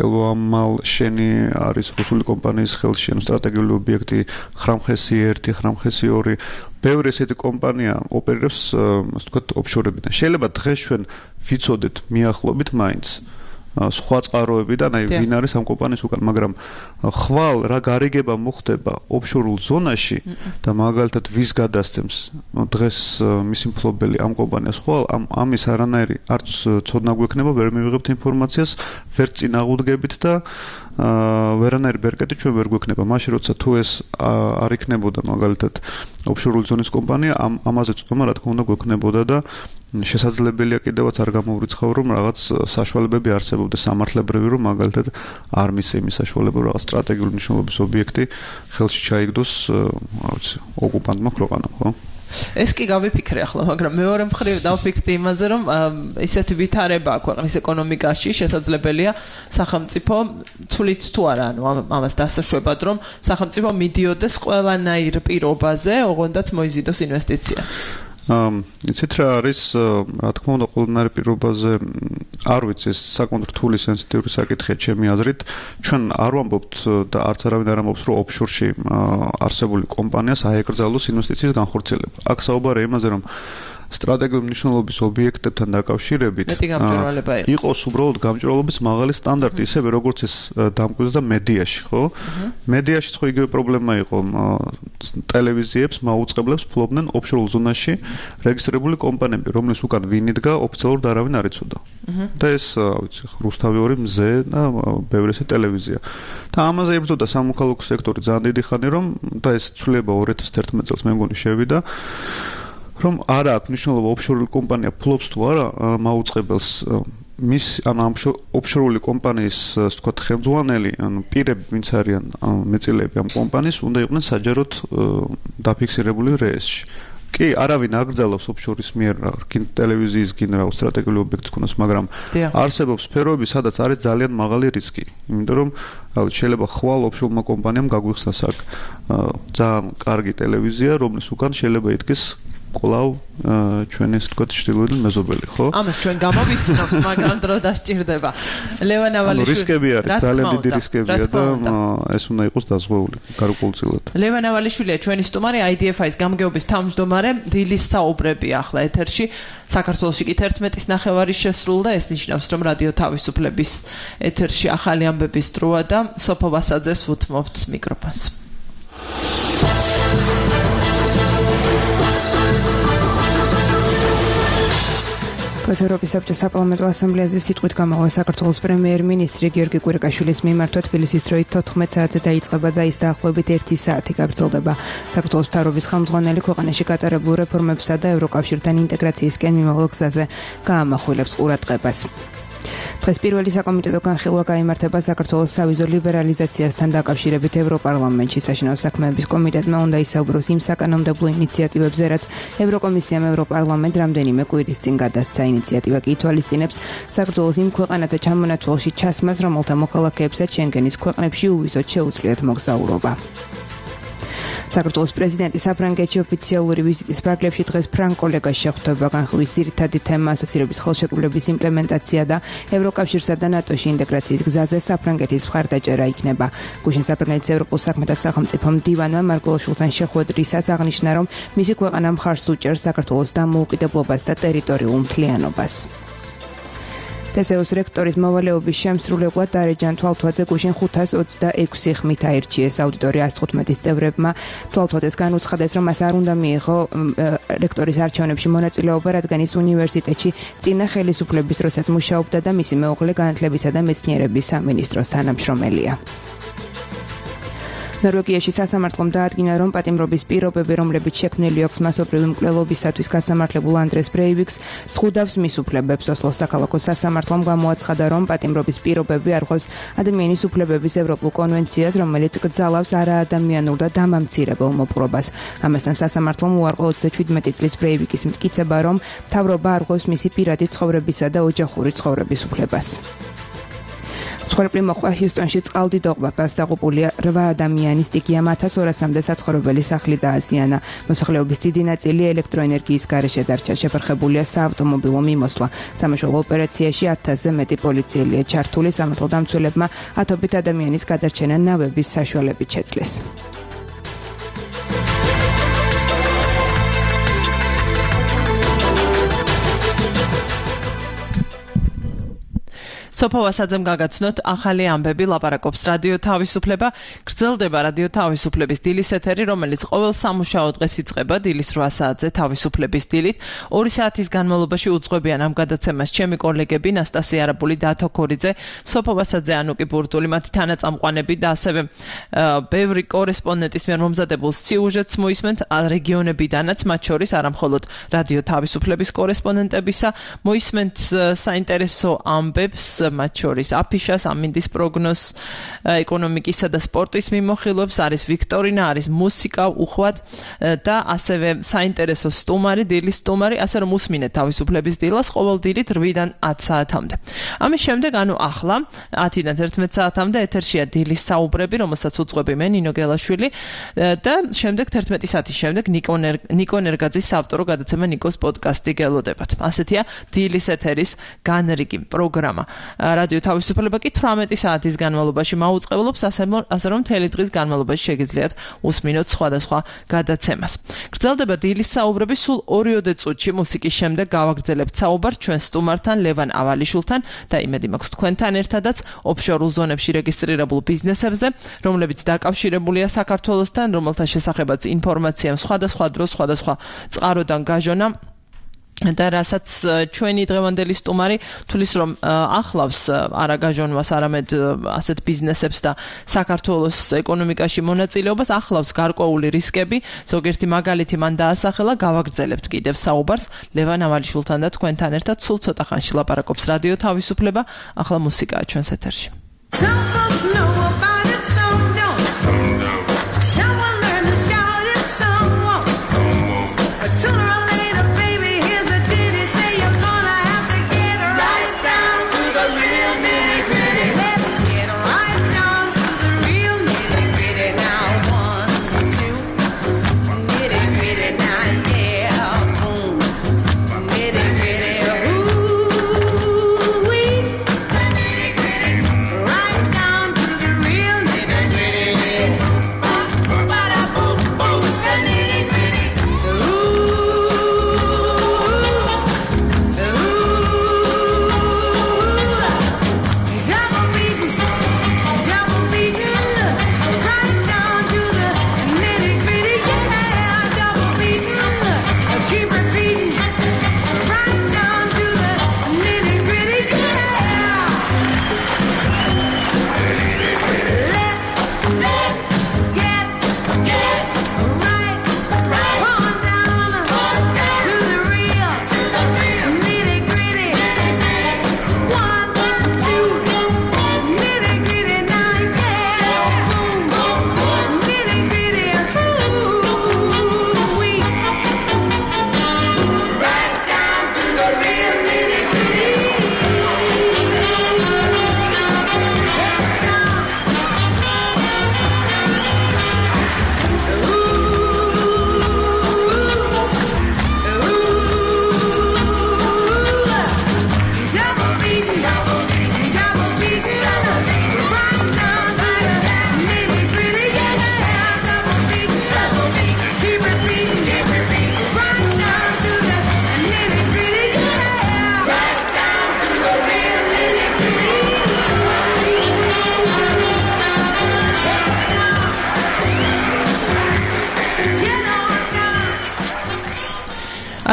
ელვამალ შენი არის რუსული კომპანიის ხელში, ანუ სტრატეგიული ობიექტი ხრამხესი ერთი, ხრამხესი ორი. ბევრი ესეთი კომპანია ოპერირებს, ასე ვთქვათ, ოფშორებიდან. შეიძლება დღეს ჩვენ ვიცოდეთ მიახლობით მაინც სხვა წყაროებიდან, აი ვინ არის ამ კომპანიის უკან, მაგრამ ხვალ რა გარიგება მოხდება ოფშორულ ზონაში და მაგალითად ვის გადასცემს დღეს მისი მფლობელი ამ კომპანიას ხვალ, ამის არანაირი არც ცოდნა გვექნება, ვერ მივიღებთ ინფორმაციას, ვერ წინ აღუდგებით და ვერანაირი ბერკეტი ჩვენ ვერ გვექნება. მაშინ როცა თუ ეს არ იქნებოდა მაგალითად ოფშორული ზონის კომპანია, ამაზე წვდომა რა თქმა უნდა გვექნებოდა და შესაძლებელია კიდევაც არ გამოვრიცხავ, რომ რაღაც საშუალებები არსებობდეს სამართლებრივი, რომ მაგალითად არ მისცე იმის საშუალება, რაღაც სტრატეგიული მნიშვნელობის ობიექტი ხელში ჩაიგდოს, რა ვიცი, ოკუპანტმა ქვეყანამ, ხო? ეს კი გავიფიქრე ახლა, მაგრამ მეორე მხრივ დავფიქრდი იმაზე, რომ ისეთი ვითარება ქვეყნის ეკონომიკაში შესაძლებელია სახელმწიფო თulit თუ არა, ანუ ამას დასაშვებად, რომ სახელმწიფო მიდიოდეს ყველანაირ პირობაზე, ოღონდაც მოიზიდოს ინვესტიცია. იცით რა არის, რა თქმა უნდა, ყველანაირ პირობაზე არ ვიცი, ეს საკმაოდ რთული სენსიტიური საკითხია ჩემი აზრით. ჩვენ არ ვამბობთ და არც არავინ არ ამბობს, რომ ოფშორში არსებული კომპანიას აეკრძალოს ინვესტიციის განხორციელება. აქ საუბარია იმაზე, რომ სტრატეგიული მნიშვნელობის ობიექტებთან დაკავშირებით იყოს უბრალოდ გამჭვირვალობის მაღალი სტანდარტი, ისევე როგორც ეს დამკვიდრდა მედიაში, ხო? მედიაში ხო იგივე პრობლემა იყო, ტელევიზიებს, მაუწყებლებს ფლობდნენ ოფშორულ ზონაში რეგისტრირებული კომპანიები, რომლის უკან ვინ იდგა, ოფიციალურად არავინ არ იცოდა. და ეს, ვიცი, რუსთავი ორი მზე და ბევრი ესე ტელევიზია. და ამაზე იბრძოდა სამოქალაქო სექტორი ძალიან დიდი ხანი, რომ და ეს ცვლილება ორი ათას ერთმეტ წელს მე მგონი შევიდა. რომ არა აქვს მნიშვნელობა ოფშორული კომპანია ფლობს თუ არა მაუწყებელს მის ან ამ ოფშორული კომპანიის ასე ვთქვათ ხელმძღვანელი ან პირები ვინც არიან მეწილეები ამ კომპანიის უნდა იყვნენ საჯაროდ დაფიქსირებული რეესში. კი, არავინ აკრძალავს ოფშორის მიერ ტელევიზიის გენერალ სტრატეგიული ობიექტის ქონას, მაგრამ არსებობს სფეროები, სადაც არის ძალიან მაღალი რისკი. იმიტომ რომ შეიძლება ხვალ ოფშორმა კომპანიამ გაგვიხსნას აქ ძალიან კარგი ტელევიზია, რომლის უკან შეიძლება იდგეს კვლავ ჩვენი ასე ვთქვათ ჩრდილოეთი მეზობელი, ხო? ამას ჩვენ გამოვიცნობთ, მაგრამ დრო დასჭირდება. ლევან ავალიშვილი. რისკები არის, ძალიან დიდი რისკებია და ეს უნდა იყოს დაზღვეული გარკვეულწილად. ლევან ავალიშვილია ჩვენი სტუმარი, აი დი ეფ აის გამგეობის თავმჯდომარე, დილის საუბრები ახლა ეთერში. საქართველოში კი თერთმეტის ნახევარი შესრულდა, ეს ნიშნავს, რომ რადიო თავისუფლების ეთერში ახალი ამბების დროა და სოფო ვასაძეს ვუთმობთ მიკროფონს. ევროპის საბჭოს საპარლამენტო ასამბლეაზე სიტყვით გამოვა საქართველოს პრემიერ-მინისტრი გიორგი კვირიკაშვილის მიმართვა თბილისის დროით თოთხმეტ საათზე დაიწყება და ის დაახლოებით ერთი საათი გაგრძელდება. საქართველოს მთავრობის ხელმძღვანელი ქვეყანაში გატარებულ რეფორმებსა და ევროკავშირთან ინტეგრაციისკენ მიმავალ გზაზე გაამახვილებს ყურადღებას. დღეს პირველი საკომიტეტო განხილვა გაიმართება საქართველოს სავიზო ლიბერალიზაციასთან დაკავშირებით ევროპარლამენტში. საშინაო საქმეების კომიტეტმა უნდა ისაუბროს იმ საკანონმდებლო ინიციატივებზე, რაც ევროკომისიამ ევროპარლამენტს რამდენიმე კვირის წინ გადასცა. ინიციატივა კი ითვალისწინებს საქართველოს იმ ქვეყანათა ჩამონათვალში ჩასმას, რომელთა მოქალაქეებსაც შენგენის ქვეყნებში უვიზოდ შეუძლიათ მოგზაურობა. საქართველოს პრეზიდენტი საფრანგეთში ოფიციალური ვიზიტის ფარგლებში დღეს ფრანგ კოლეგას შეხვდება. განხილვის ძირითადი თემა ასოცირების ხელშეკრულების იმპლემენტაცია და ევროკავშირსა და ნატოში ინტეგრაციის გზაზე საფრანგეთის მხარდაჭერა იქნება. გუშინ საფრანგეთის ევროპულ საქმეთა სახელმწიფო მდივანმა მარგველაშვილთან შეხვედრისას აღნიშნა, რომ მისი ქვეყანა მხარს უჭერს საქართველოს დამოუკიდებლობას და ტერიტორიულ მთლიანობას. თესეუს რექტორის მოვალეობის შემსრულებლად დარეჯან თვალთვაძე გუშინ ხუთას ოცდაექვსი ხმით აირჩიეს. აუდიტორია ას თხუთმეტის წევრებმა თვალთვაძეს განუცხადეს, რომ მას არ უნდა მიიღო რექტორის არჩევნებში მონაწილეობა, რადგან ის უნივერსიტეტში წინა ხელისუფლების დროსაც მუშაობდა და მისი მეუღლე განათლებისა და მეცნიერების სამინისტროს თანამშრომელია. ნორვეგიაში სასამართლომ დაადგინა, რომ პატიმრობის პირობები, რომლებიც შექმნილი აქვს მასობრივი მკვლელობისათვის გასამართლებულ ანდრეს ბრეივიკს, ზღუდავს მის უფლებებს. ოსლოს საქალაქო სასამართლომ გამოაცხადა, რომ პატიმრობის პირობები არღვევს ადამიანის უფლებების ევროპულ კონვენციას, რომელიც კრძალავს არაადამიანურ და დამამცირებელ მოპყრობას. ამასთან სასამართლომ უარყო ოცდაჩვიდმეტი წლის ბრეივიკის მტკიცება, რომ მთავრობა არღვევს მისი პირადი ცხოვრებისა და ოჯახური ცხოვრების უფლებას. ცხოვრებრივ მოხვა ჰიუსტონში წყალდიდობა დასდაღუპულია რვა ადამიანის ტიგიამ ათას ორასამდე საცხოვრებელი სახლი დააზიანა. მოსახლეობის დიდი ნაწილი ელექტროენერგიის გარეშე დარჩა. შეფერხებულია საავტომობილო მიმოსვლა. სამაშველო ოპერაციაში ათასზე მეტი პოლიციელია ჩართული. სამართალ დამცველებმა ათობით ადამიანის გადარჩენა ნავების საშუალებით შეძლეს. სოფო ვასაძემ გაგაცნოთ ახალი ამბები, ლაპარაკობს რადიო თავისუფლება. გრძელდება რადიო თავისუფლების დილის ეთერი, რომელიც ყოველ სამუშაო დღეს იწყება დილის რვა საათზე თავისუფლების დილით. ორი საათის განმავლობაში უძღვებიან ამ გადაცემას ჩემი კოლეგები ნასტასია არაბული, დათო ქორიძე, სოფო ვასაძე, ანუკი ბურტული, მათი თანაწამყვანები და ასევე ბევრი კორესპონდენტის მიერ მომზადებულ სიუჟეტს მოისმენთ რეგიონებიდანაც, მათ შორის არა მხოლოდ რადიო თავისუფლების კორესპონდენტებისა, მოისმენთ საინტერესო ამბებს, მათ შორის აფიშას, ამინდის პროგნოზს, ეკონომიკისა და სპორტის მიმოხილვებს, არის ვიქტორინა, არის მუსიკა, უხვად და ასევე საინტერესო სტუმარი, დილის სტუმარი, ასე რომ უსმინეთ თავისუფლების დილას ყოველ დილით რვიდან ათ საათამდე. ამის შემდეგ, ანუ ახლა ათიდან თერთმეტ საათამდე ეთერშია დილის საუბრები, რომელსაც უძღვები მე ნინო გელაშვილი და შემდეგ თერთმეტი საათის შემდეგ ნიკო ნერგაძის საავტორო გადაცემა ნიკოს პოდკასტი გელოდებათ. ასეთია დილის ეთერის განრიგი პროგრამა. რადიო თავისუფლება კი თვრამეტი საათის განმავლობაში მაუწყებლობს, ასე რომ მთელი დღის განმავლობაში შეგიძლიათ უსმინოთ სხვადასხვა გადაცემას. გრძელდება დილის საუბრები, სულ ორიოდე წუთში მუსიკის შემდეგ გავაგრძელებთ საუბარს ჩვენ სტუმართან, ლევან ავალიშვილთან და იმედი მაქვს თქვენთან ერთადაც ოფშორულ ზონებში რეგისტრირებულ ბიზნესებზე, რომლებიც დაკავშირებულია საქართველოსთან, რომელთა შესახებაც ინფორმაცია სხვადასხვა დროს, სხვადასხვა წყაროდან გაჟონა და რასაც ჩვენი დღევანდელი სტუმარი თulis რომ ახლავს არა გაჟონვას, არამედ ასეთ ბიზნესებს და საქართველოს ეკონომიკაში მონაწილეობას, ახლავს გარკვეული რისკები. ზოგიერთი მაგალითი მან დაასახელა, გავაგრძელებთ კიდევ საუბარს ლევან ავალიშვილთან და თქვენთან ერთად სულ ცოტა ხანში ლაპარაკობს რადიო თავისუფლება. ახლა მუსიკაა ჩვენს ეთერში.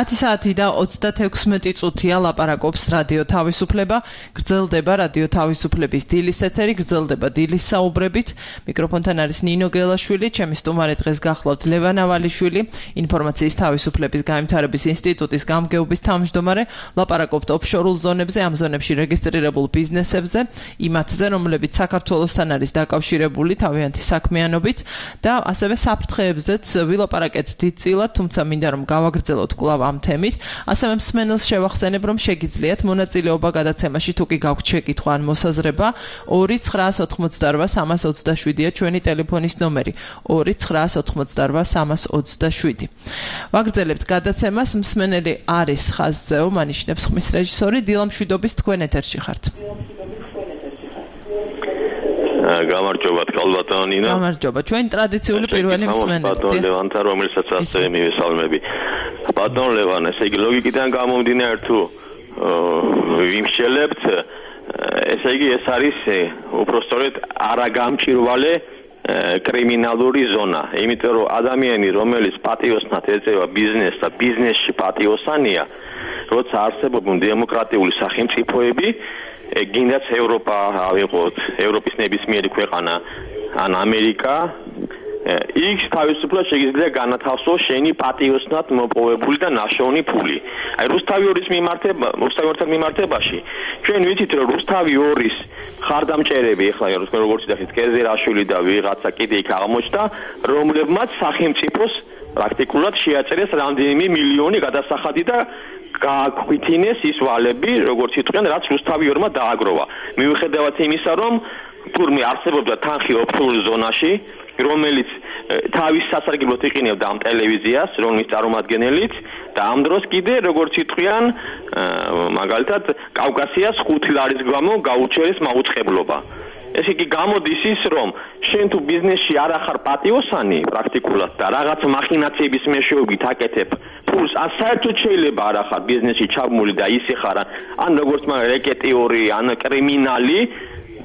ათი საათი და ოცდათექვსმეტი წუთია ლაპარაკობს რადიო თავისუფლება. გრძელდება რადიო თავისუფლების დილის ეთერი, გრძელდება დილის საუბრებით. მიკროფონთან არის ნინო გელაშვილი, ჩემი სტუმარი დღეს გახლავთ ლევან ავალიშვილი, ინფორმაციის თავისუფლების განვითარების ინსტიტუტის გამგეობის თავმჯდომარე. ლაპარაკობთ ოფშორულ ზონებზე, ამ ზონებში რეგისტრირებულ ბიზნესებზე, იმათზე, რომლებიც საქართველოსთან არის დაკავშირებული თავიანთი საქმიანობით და ასევე საფრთხეებზეც ვილაპარაკეთ დიდწილად, თუმცა მინდა რომ გავაგრძელოთ კვლავ ამ თემით. ასევე მსმენელს შევახსენებ, რომ შეგიძლიათ მონაწილეობა გადაცემაში თუ კი გაქვთ შეკითხვა ან მოსაზრება, ორი ცხრაას ოთხმოცდარვა სამას ოცდაშვიდია ჩვენი ტელეფონის ნომერი. ორი ცხრაას ოთხმოცდარვა სამას ოცდაშვიდი. ვაგრძელებთ გადაცემას, მსმენელი არის ხაზზეო, მანიშნებს ხმის რეჟისორი დილა მშვიდობის, თქვენ ეთერში ხართ. გამარჯობა თქალბატონო ნინო. გამარჯობა. ჩვენი ტრადიციული პირველი მსმენელი. ბატონ ლევანთა, რომელსაც ასევე მივესალმები. ბატონ ლევან, ესე იგი ლოგიკიდან გამომდინარე თუ ვიმსჯელებთ, ესე იგი ეს არის უпростоრეთ არაგამჭირვალე კრიმინალური ზონა. იმიტომ რომ ადამიანი, რომელიც პატიოსნად ეწევა ბიზნესს და ბიზნესში პატიოსანია, როცა არსებობენ დემოკრატიული სახელმწიფოები, გინდაც ევროპა ავიღოთ, ევროპის ნებისმიერი ქვეყანა ან ამერიკა, იქ თავისუფლად შეგიძლია განათავსოს შენი პატიოსნად მოპოვებული და ნაშოვნი ფული. აი რუსთავი ორის მიმართება, რუსთავი ორთან მიმართებაში, ჩვენ ვიცით რომ რუსთავი ორის ხარდამჭერები, ახლა როგორც იცით, კეზერაშვილი და ვიღაცა კიდე იქ აღმოჩნდა, რომლებმაც სახელმწიფოს პრაქტიკულად შეაწერეს რამდენიმე მილიონი გადასახადი და გააქვithინეს ის ვალები, როგორც იტყვიან, რაც რუსთავი ორმა დააგროვა. მიუხედავად იმისა, რომ თურმე არსებობდა თანხი ოფშორულ ზონაში, რომელიც თავის სასარგებლოდ იყინებდა ამ ტელევიზიას, რომლის წარმომადგენელიც და ამ დროს კიდე როგორც იტყვიან, მაგალითად, კავკასიას ხუთი ლარის გამო გაუჩერეს მაუწყებლობა. ეს იგი გამოდის ის, რომ შენ თუ ბიზნესში არ ახარ პატიოსანი პრაქტიკულად და რაღაც მახინაციების მეშვეობით აკეთებ ფულს, ან საერთოდ შეიძლება არ ახარ ბიზნესში ჩაბმული და ისე ხარ, ან როგორც მაგ რეკეტიორი, ან კრიმინალი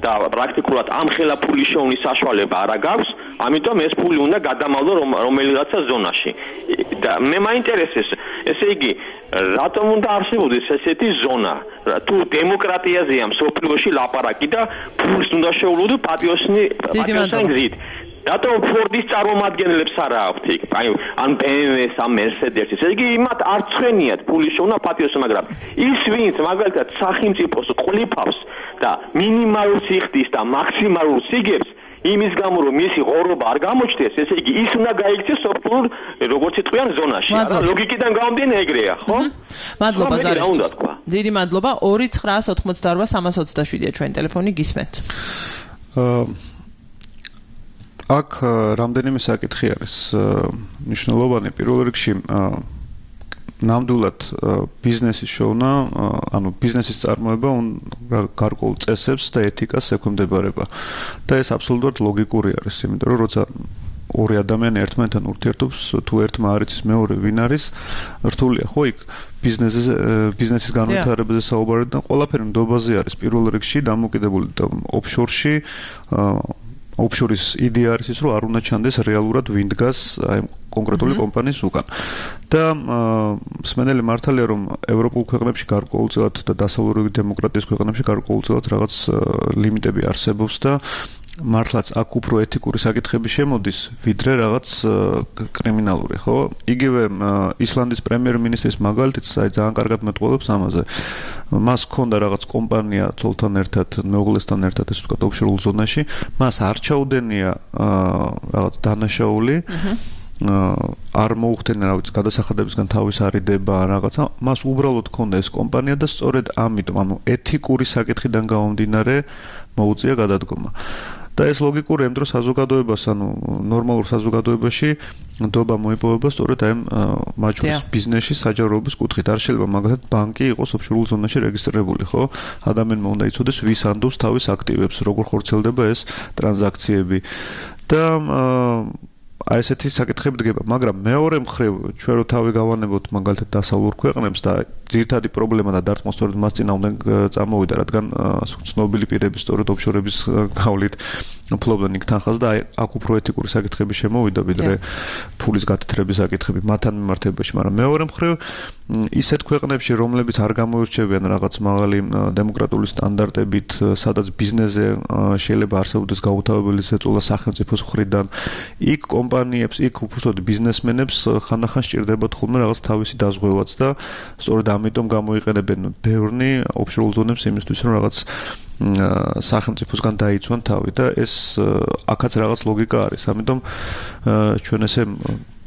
და პრაქტიკულად ამ ხელა ფულის შოვნის საშუალება არ აქვს, ამიტომ ეს ფული უნდა გადამალო რომელიღაცა ზონაში. და მე მაინტერესებს, ესე იგი, რატომ უნდა არსებობდეს ესეთი ზონა? თუ დემოკრატიაზეა მსოფლიოში ლაპარაკი და ფულს უნდა შეუვლოდო პატიოსნი პატიოსანი გზით. რატომ ფორდის წარმომადგენლებს არა აქვთ იქ? აი, ან ბე ემ ვეს, ან მერსედესის. ესე იგი, იმათ არ ცხენიათ ფულის შეუნა პატიოსი, მაგრამ ის ვინც მაგალითად სახელმწიფოს ყლიფავს და მინიმალურ სიხდის და მაქსიმალურ სიგებს იმის გამო რომ მისი ღორობა არ გამოჩნდეს, ესე იგი ის უნდა გაიქცეს სოფლურ როგორც იტყვიან ზონაში. არა ლოგიკიდან გამომდინე ეგრეა, ხო? მადლობა ზარისთვის. დიდი მადლობა. ორი ცხრაას ოცდაოთხ სამას ოცდაშვიდია ჩვენი ტელეფონი, გისმენთ. აა აქ რამდენიმე საკითხი არის მნიშვნელოვანი. პირველ რიგში ნამდვილად ბიზნესის შოვნა, ანუ ბიზნესის წარმოება გარკვეულ წესებს და ეთიკას ექვემდებარება. და ეს აბსოლუტურად ლოგიკური არის, იმიტომ რომ როცა ორი ადამიანი ერთმანეთთან ურთიერთობს, თუ ერთმა არ იცის მეორე ვინ არის, რთულია, ხო იქ ბიზნესის ბიზნესის განვითარებაზე საუბარი და ყველაფერი ნდობაზე არის პირველ რიგში დამოკიდებული და ოფშორში ოფშორის იდეა არის ის, რომ არ უნდა ჩანდეს რეალურად ვინ დგას აი კონკრეტული კომპანიის უკან. და მსმენელი მართალია, რომ ევროპულ ქვეყნებში გარკვეულწილად და დასავლური დემოკრატიის ქვეყნებში გარკვეულწილად რაღაც ლიმიტები არსებობს და მართლაც აქ უფრო ეთიკური საკითხები შემოდის, ვიდრე რაღაც კრიმინალური, ხო? იგივე ისლანდის პრემიერ-მინისტრის მაგალითიც აი ძალიან კარგად მეტყველებს ამაზე. მას ჰქონდა რაღაც კომპანია ცოლთან ერთად, მეუღლესთან ერთად, ესე ვთქვათ, ოფშორულ ზონაში, მას არ ჩაუდენია რაღაც დანაშაული. არ მოუხდენა რა ვიცი გადასახადებისგან თავის არიდება რაღაცა, მას უბრალოდ ჰქონდა ეს კომპანია და სწორედ ამიტომ, ანუ ეთიკური საკითხიდან გამომდინარე მოუწია გადადგომა. და ეს ლოგიკური ამ დროს საზოგადოებას, ანუ ნორმალურ საზოგადოებაში ნდობა მოიპოვება სწორედ აი მაჩვენს ბიზნესში საჯაროების კუთხით. არ შეიძლება მაგალითად ბანკი იყოს ოფშორულ ზონაში რეგისტრირებული, ხო? ადამიანმა უნდა იცოდეს ვის ანდობს თავის აქტივებს, როგორ ხორციელდება ეს ტრანზაქციები. და აი ესეთი საკითხები დგება, მაგრამ მეორე მხრივ ჩვენ რო თავი გავანებოთ მაგალითად დასავლურ ქვეყნებს და ძირითადი პრობლემა და დარტყმა სწორედ მას წინააღმდეგ წამოვიდა, რადგან ცნობილი პირების სწორედ ოფშორების გავლით ფლობდნენ იქ თანხას და აი აქ უფრო ეთიკური საკითხები შემოვიდა, ვიდრე ფულის გათეთრების საკითხები მათთან მიმართებაში, მაგრამ მეორე მხრივ ისეთ ქვეყნებში, რომლებიც არ გამოირჩევიან რაღაც მაღალი დემოკრატიული სტანდარტებით, სადაც ბიზნესზე შეიძლება არსებობდეს გაუთავებელი ზეწოლა სახელმწიფოს მხრიდან, იქ კომპანიებს, იქ უბრალოდ ბიზნესმენებს ხანდახან სჭირდებათ ხოლმე რაღაც თავისი დაზღვევაც და სწორედ ამიტომ გამოიყენებენ ბევრნი ოფშორულ ზონებს იმისთვის, რომ რაღაც სახელმწიფოსგან დაიცვან თავი და ეს აქაც რაღაც ლოგიკა არის. ამიტომ ჩვენ ესე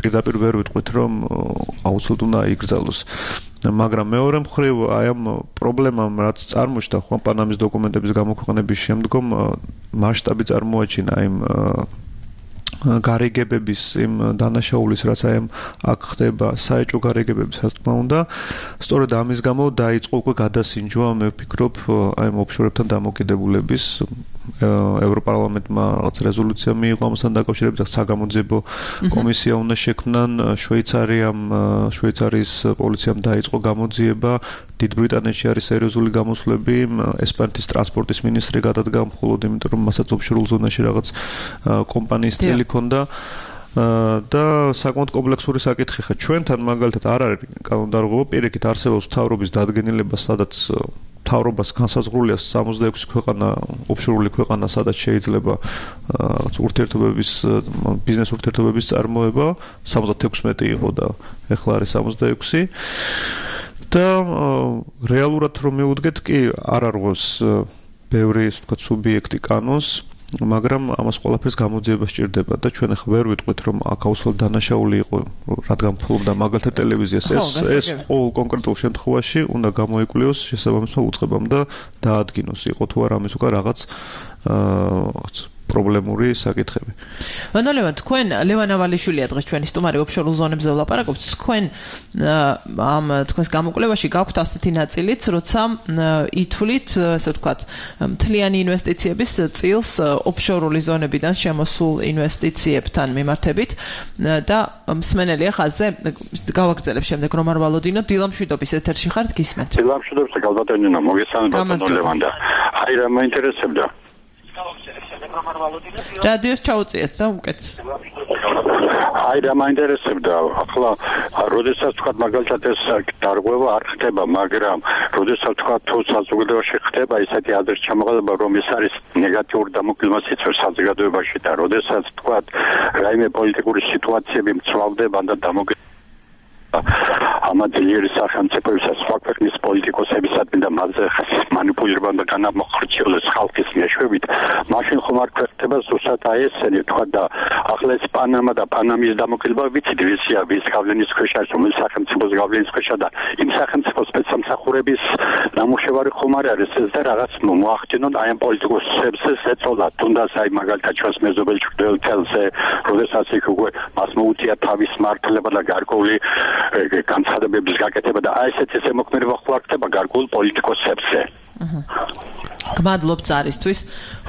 პირდაპირ ვერ ვიტყვით, რომ აუცილებლად უნდა იგრძელოს. მაგრამ მეორე მხრივ აი ამ პრობლემამ რაც წარმოჩნდა ხო პანამის დოკუმენტების გამოქვეყნების შემდგომ მასშტაბი წარმოაჩინა იმ გარიგებების იმ დანაშაულის, რაც აი აქ ხდება საეჭვო გარიგებების, რა თქმა უნდა, სწორედ ამის გამო დაიწყო უკვე გადასინჯვა, მე ვფიქრობ, აი ამ ოფშორებთან დამოკიდებულების ევროპარლამენტმა რაღაც რეზოლუცია მიიღო ამასთან დაკავშირებით, საგამოძიებო კომისია უნდა შექმნან, შვეიცარიამ, შვეიცარიის პოლიციამ დაიწყო გამოძიება, დიდ ბრიტანეთში არის სერიოზული გამოსვლები, ესპანეთის ტრანსპორტის მინისტრი გადადგა მხოლოდ იმიტომ, რომ მასაც ოფშორულ ზონაში რაღაც კომპანიის წელი ჰქონდა და საკმაოდ კომპლექსური საკითხი ხა ჩვენთან მაგალითად არ არის კანონდარღვევა, პირიქით არსებობს მთავრობის დადგენილება, სადაც მთავრობას განსაზღვრულია სამოცდაექვსი ქვეყანა, ოფშორული ქვეყანა, სადაც შეიძლება რაღაც ურთიერთობების, ბიზნეს ურთიერთობების წარმოება, სამოცდათექვსმეტი იყო და ეხლა არის სამოცდაექვსი. და რეალურად რომ მივუდგეთ კი არ არღვევს ბევრი ისე ვთქვათ სუბიექტი კანონს, მაგრამ ამას ყველაფერს გამოძიება სჭირდება და ჩვენ ახლა ვერ ვიტყვით რომ აქ აუცილებლად დანაშაული იყო, რადგან ფლობდა მაგალითად ტელევიზიას, ეს ეს ყოველ კონკრეტულ შემთხვევაში უნდა გამოიკვლიოს შესაბამისმა უწყებამ და დაადგინოს, იყო თუ არა ამის უკან რაღაც აა პრობლემური საკითხები. მანოლევან, თქვენ ლევან ავალიშვილია დღეს ჩვენი სტუმარი ოფშორულ ზონებზე ვლაპარაკობთ. თქვენ ამ თქვენს გამოკვლევაში გაქვთ ასეთი ნაწილიც, როცა ითვლით, ასე ვთქვათ, მთლიანი ინვესტიციების წილს ოფშორული ზონებიდან შემოსულ ინვესტიციებთან მიმართებით და მსმენელი ხაზზე გავაგრძელებ შემდეგ რომ არ ვალოდინო, დილამშვიდობის ეთერში ხართ, გისმენთ. დილამშვიდობს, გალბატონინა, მოგესალმებით, მანოლევან და აი რა მაინტერესებდა. რადიოს ჩაუწიეთ და უკეთ. აი რა მაინტერესებდა ახლა როდესაც თქვა მაგალითად ეს დარღვევა არ ხდება, მაგრამ როდესაც თქვა თუ საზოგადოებაში ხდება ისეთი აზრის ჩამოყალიბება, რომ ეს არის ნეგატიური დამოკიდებულება სიცოცხლის საზოგადოებაში და როდესაც თქვა რაიმე პოლიტიკური სიტუაციები მცლავდება და დამოკიდებულება ამა ძლიერი სახელმწიფოებისა სხვა ქვეყნის პოლიტიკოსებისადმი და მასზე მანიპულირება და განამხრჩიელოს ხალხის მეშვეობით, მაშინ ხომ არ ხდება ზუსტად აი ესენი თქვა და ახლა ეს პანამა და პანამის დამოკიდება ვიცით ვისია ვის გავლენის ქვეშ არის, რომელი სახელმწიფოს გავლენის ქვეშა და იმ სახელმწიფოს სპეცსამსახურების ნამუშევარი ხომ არ არის ეს და რაღაც მოახდინონ აი ამ პოლიტიკოსებს ეწოლა თუნდაც აი მაგალითად ჩვენს მეზობელ ჩრდილოეთელზე, როდესაც იქ უკვე მას მოუწია თავის მართლება და გარკვეული განცხადებების გაკეთება და აი ესეთი ზემოქმედება ხო არ ხდება გარკვეულ პოლიტიკოსებზე. გმადლობ ზარისთვის.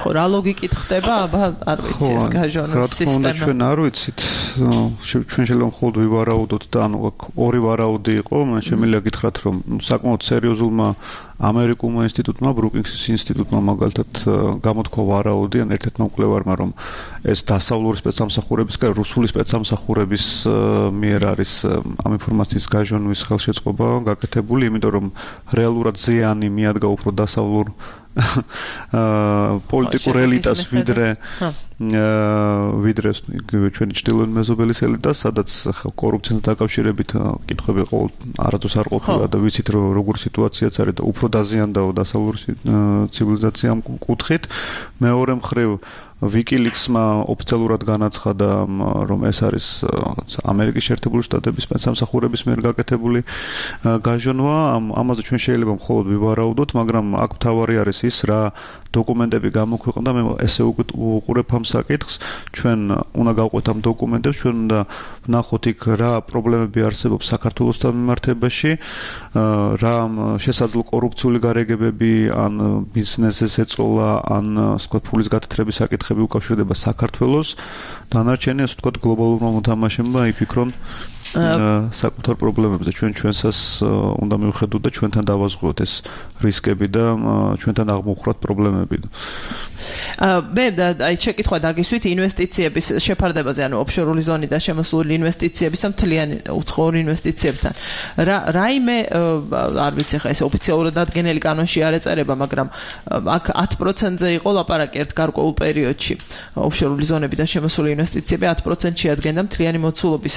ხო, რა ლოგიკით ხდება? აბა, არ ვიცი ეს გაჟონოს სისტემა. ხო, ჩვენ არ ვიცით. ჩვენ შეიძლება მხოლოდ ვივარაუდოთ და ანუ ორი ვარაუდი იყო, მან შემიძლია გითხრათ, რომ საკმაოდ სერიოზულმა ამერიკულმა ინსტიტუტმა, ბრუკინგსის ინსტიტუტმა მაგალითად გამოთქვა ვარაუდი ან ერთ-ერთმა მკვლევარმა, რომ ეს დასავლური სპეცსამსახურების, კა რუსული სპეცსამსახურების მიერ არის ამ ინფორმაციის გაჟონვის ხელშეწყობა გაკეთებული, იმიტომ რომ რეალურად ზიანი მიადგა უფრო დასავლურ პოლიტიკურ ელიტას ვიდრე ვიდრე ჩვენი ჩრდილოეთ მეზობელის ელიტას, სადაც კორუფციასთან დაკავშირებით კითხვები ყოველ არასდროს არ ყოფილა და ვიცით რომ როგორი სიტუაციაც არის და უფრო დაზიანდაო დასავლური ცივილიზაციამ კუთხით. მეორე მხრივ WikiLeaks-მა ოფიციალურად განაცხადა, რომ ეს არის ამერიკის შეერთებული შტატების სპეცსამსახურების მიერ გაკეთებული გაჟონვა. ამაზე ჩვენ შეიძლება მხოლოდ ვივარაუდოთ, მაგრამ აქ მთავარი არის ის, რა დოკუმენტები გამოქვეყნდა. მე ესე უყურებ ამ საკითხს. ჩვენ უნდა გავყვეთ ამ დოკუმენტებს, ჩვენ უნდა ვნახოთ იქ რა პრობლემები არსებობს საქართველოსთან მიმართებაში, რა შესაძლო კორუფციული გარეგებები ან ბიზნესის ეწოლა, ან სხვა ფულის გათეთრების საკითხები უკავშირდება საქართველოს. დანარჩენი ასე ვთქვათ გლობალურმა მოთამაშემმა იფიქრონ საკუთარ პრობლემებზე. ჩვენ ჩვენსას უნდა მივხედოთ და ჩვენთან დავაზღოთ ეს რისკები და ჩვენთან აღმოხვრათ პრობლემები. მე აი შეკითხვა დაგისვით ინვესტიციების შეფარდებაზე, ანუ ოფშორული ზონიდან შემოსული ინვესტიციების ამ მთლიანი უცხოური ინვესტიციებთან. რა რაიმე არ ვიცი ხა ეს ოფიციალურად დადგენილი კანონში არ ეწერება, მაგრამ აქ ათი პროცენტზე იყო ლაპარაკი ერთ გარკვეულ პერიოდში. ოფშორული ზონებიდან შემოსული ინვესტიციები ათი პროცენტი შეადგენდა მთლიანი მოცულობის.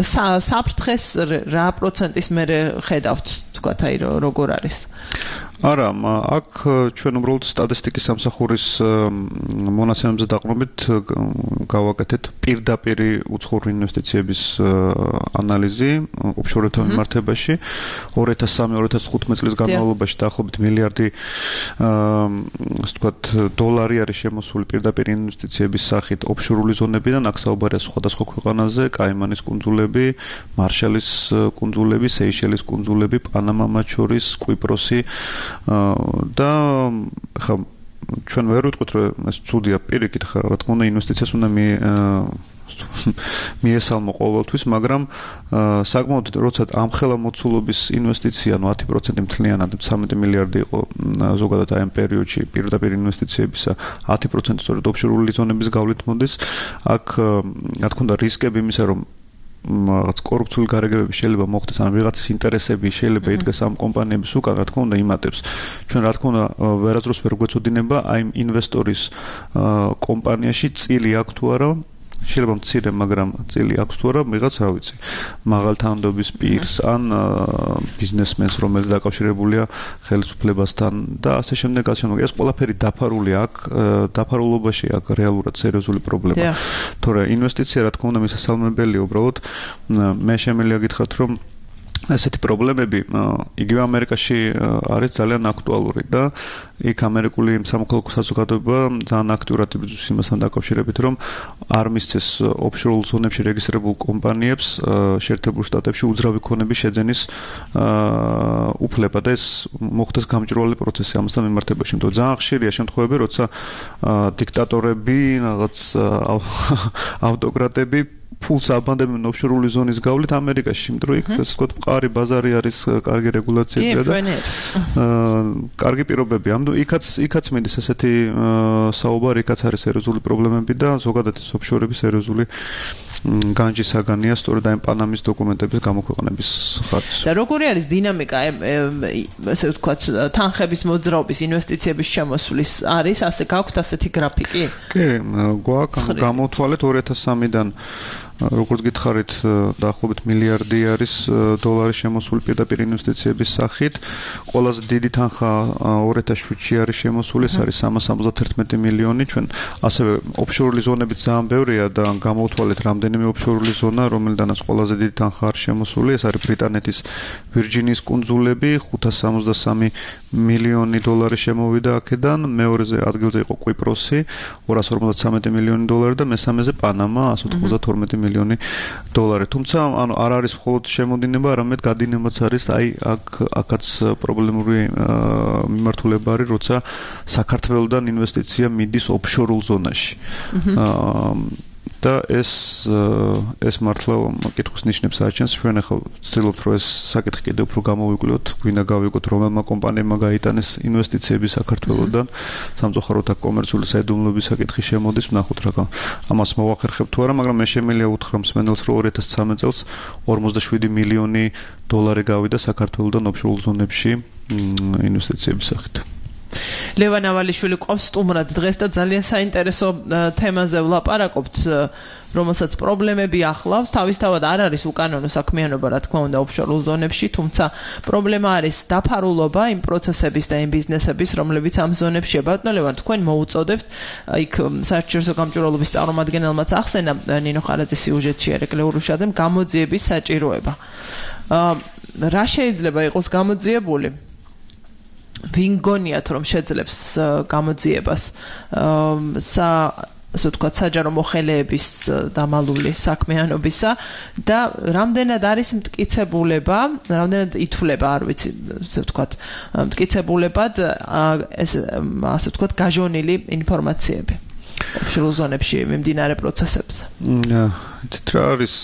საფრთხეს რა პროცენტის მერე ხედავთ, თქვათ აი როგორ არის? არა, აქ ჩვენ უბრალოდ სტატისტიკის სამსახურის მონაცემებზე დაყრდნობით გავაკეთეთ პირდაპირ უცხოური ინვესტიციების ანალიზი ოფშორებთან მიმართებაში. ორი ათას სამი ორი ათას ხუთმეტი წლის განმავლობაში დაახლოებით მილიარდი ასე ვთქვათ დოლარი არის შემოსული პირდაპირ ინვესტიციების სახით ოფშორული ზონებიდან. აქ საუბარია სხვადასხვა ქვეყანაზე, კაიმანის კუნძულები, მარშალის კუნძულები, სეიშელის კუნძულები, პანამა მათ შორის, კვიპროსი და ხა ჩვენ ვერ ვიტყვით რომ ეს ცუდია პირიქით, ხა რა თქმა უნდა ინვესტიციას უნდა მი მიესალმო ყოველთვის, მაგრამ საკმაოდ როცა ამხელა მოცულობის ინვესტიცია, ანუ ათი პროცენტი მთლიანად ცხრამეტი მილიარდი იყო ზოგადად აი ამ პერიოდში პირდაპირ ინვესტიციებისა, ათი პროცენტი სწორედ ოფშორული ზონების გავლით მოდის. აქ რა თქმა უნდა რისკები იმისა, რომ რაღაც კორუფციული გარეგებები შეიძლება მოხდეს, ან ვიღაცის ინტერესები შეიძლება იდგეს ამ კომპანიების უკან, რა თქმა უნდა იმატებს. ჩვენ რა თქმა უნდა ვერასდროს ვერ გვეწოდინება აი ინვესტორის კომპანიაში წილი აქვს თუ არა, შეიძლება მცირე, მაგრამ წილი აქვს თუ არა, ვიღაც რა ვიცი, მაღალ თანამდებობის პირს ან ბიზნესმენს, რომელიც დაკავშირებულია ხელისუფლებასთან და ასე შემდეგ, ასე შემდეგ. ეს ყველაფერი დაფარული აქ, დაფარულობაში აქ რეალურად სერიოზული პრობლემაა. თორე ინვესტიცია რა თქმა უნდა მისასალმებელია, უბრალოდ მე შემიძლია გითხრათ, რომ ესეთი პრობლემები იგივე ამერიკაში არის ძალიან აქტუალური და იქ ამერიკული სამოქალაქო საზოგადოება ძალიან აქტიურად იბრძვის იმასთან დაკავშირებით, რომ არ მისცეს ოფშორულ ზონებში რეგისტრირებულ კომპანიებს შეერთებულ შტატებში უძრავი ქონების შეძენის უფლება და ეს მოხდეს გამჭვირვალე პროცესი ამასთან მიმართებაში. იმიტომ ძალიან ხშირია შემთხვევები, როცა დიქტატორები, რაღაც ავტოკრატები ფულს აბანდებენ ოფშორული ზონის გავლით ამერიკაში, იმიტომ რომ იქ ასე ვთქვათ, მყარი ბაზარი არის, კარგი რეგულაციებია და კარგი პირობები. ამიტომ იქაც იქაც მინდის ესეთი საუბარი, იქაც არის სერიოზული პრობლემები და ზოგადად ეს ოფშორების სერიოზული განჯის საგანია სწორედ აი პანამის დოკუმენტების გამოქვეყნების ხარჯს. და როგორი არის დინამიკა, ასე ვთქვათ, თანხების მოძრაობის, ინვესტიციების შემოსვლის არის, ასე გაქვთ ასეთი გრაფიკი? კი, გვაქვს, გამოთვალეთ ორი ათას სამიდან როგორც გითხარით, დაახლოებით მილიარდი არის დოლარი შემოსული პირდაპირ ინვესტიციების სახით. ყველაზე დიდი თანხა ორი ათას შვიდში არის შემოსული, ეს არის სამას სამოცდათერთმეტი მილიონი. ჩვენ ასევე ოფშორული ზონებიც ძალიან ბევრია და გამოვთვალეთ რამდენიმე ოფშორული ზონა, რომელიდანაც ყველაზე დიდი თანხა არის შემოსული. ეს არის ბრიტანეთის ვირჯინიის კუნძულები, ხუთას სამოცდასამი მილიონი დოლარი შემოვიდა აქედან, მეორეზე ადგილზე იყო კვიპროსი, ორას ორმოცდათვრამეტი მილიონი დოლარი და მესამეზე პანამა, ასი ოცდათორმეტი მილიონი დოლარი. თუმცა, ანუ არ არის მხოლოდ შემოდინება, არამედ გადინებაც არის, აი აქ აქაც პრობლემური მიმართულება არის, როცა საქართველოსთან ინვესტიცია მიდის ოფშორულ ზონაში. და ეს ეს მართლა კითხვის ნიშნებს აჩენს. ჩვენ ახლა ვცდილობთ, რომ ეს საკითხი კიდევ უფრო გამოვიკვლიოთ, გვინდა გავიგოთ, რომელმა კომპანიებმა გაიტანეს ინვესტიციები საქართველოსთან. სამწუხაროდ აქ კომერციული საიდუმლოების საკითხი შემოდის, ვნახოთ რა ამას მოვახერხებთ თუ არა, მაგრამ მე შემიძლია უთხრა მსმენელს, რომ ორი ათას ცხრამეტ წელს ორმოცდაშვიდი მილიონი დოლარი გავიდა საქართველოსთან ოფშორულ ზონებში ინვესტიციების სახით. ლევან ავალიშვილი ყავს სტუმრად დღეს და ძალიან საინტერესო თემაზე ვლაპარაკობთ, რომელსაც პრობლემები ახლავს. თავისთავად არ არის უკანონო საქმიანობა, რა თქმა უნდა, ოფშორულ ზონებში, თუმცა პრობლემა არის დაფარულობა იმ პროცესების და იმ ბიზნესების, რომლებიც ამ ზონებშია. ბატონო ლევან, თქვენ მოუწოდებთ, იქ საერთაშორისო გამჭვირვალობის წარმომადგენელმაც ახსენა ნინო ხარაძის სიუჟეტში ერეკლე ურუშაძემ გამოძიების საჭიროება. რა შეიძლება იყოს გამოძიებული? ვინ გონიათ, რომ შეძლებს გამოძიებას სა ასე ვთქვათ, საჯარო მოხელეების დამალული საქმიანობისა და რამდენად არის მტკიცებულება, რამდენად ითვლება, არ ვიცი, ასე ვთქვათ, მტკიცებულებად ეს ასე ვთქვათ, გაჟონილი ინფორმაციები ოფშორულ ზონებში მიმდინარე პროცესებზე. იცით რა არის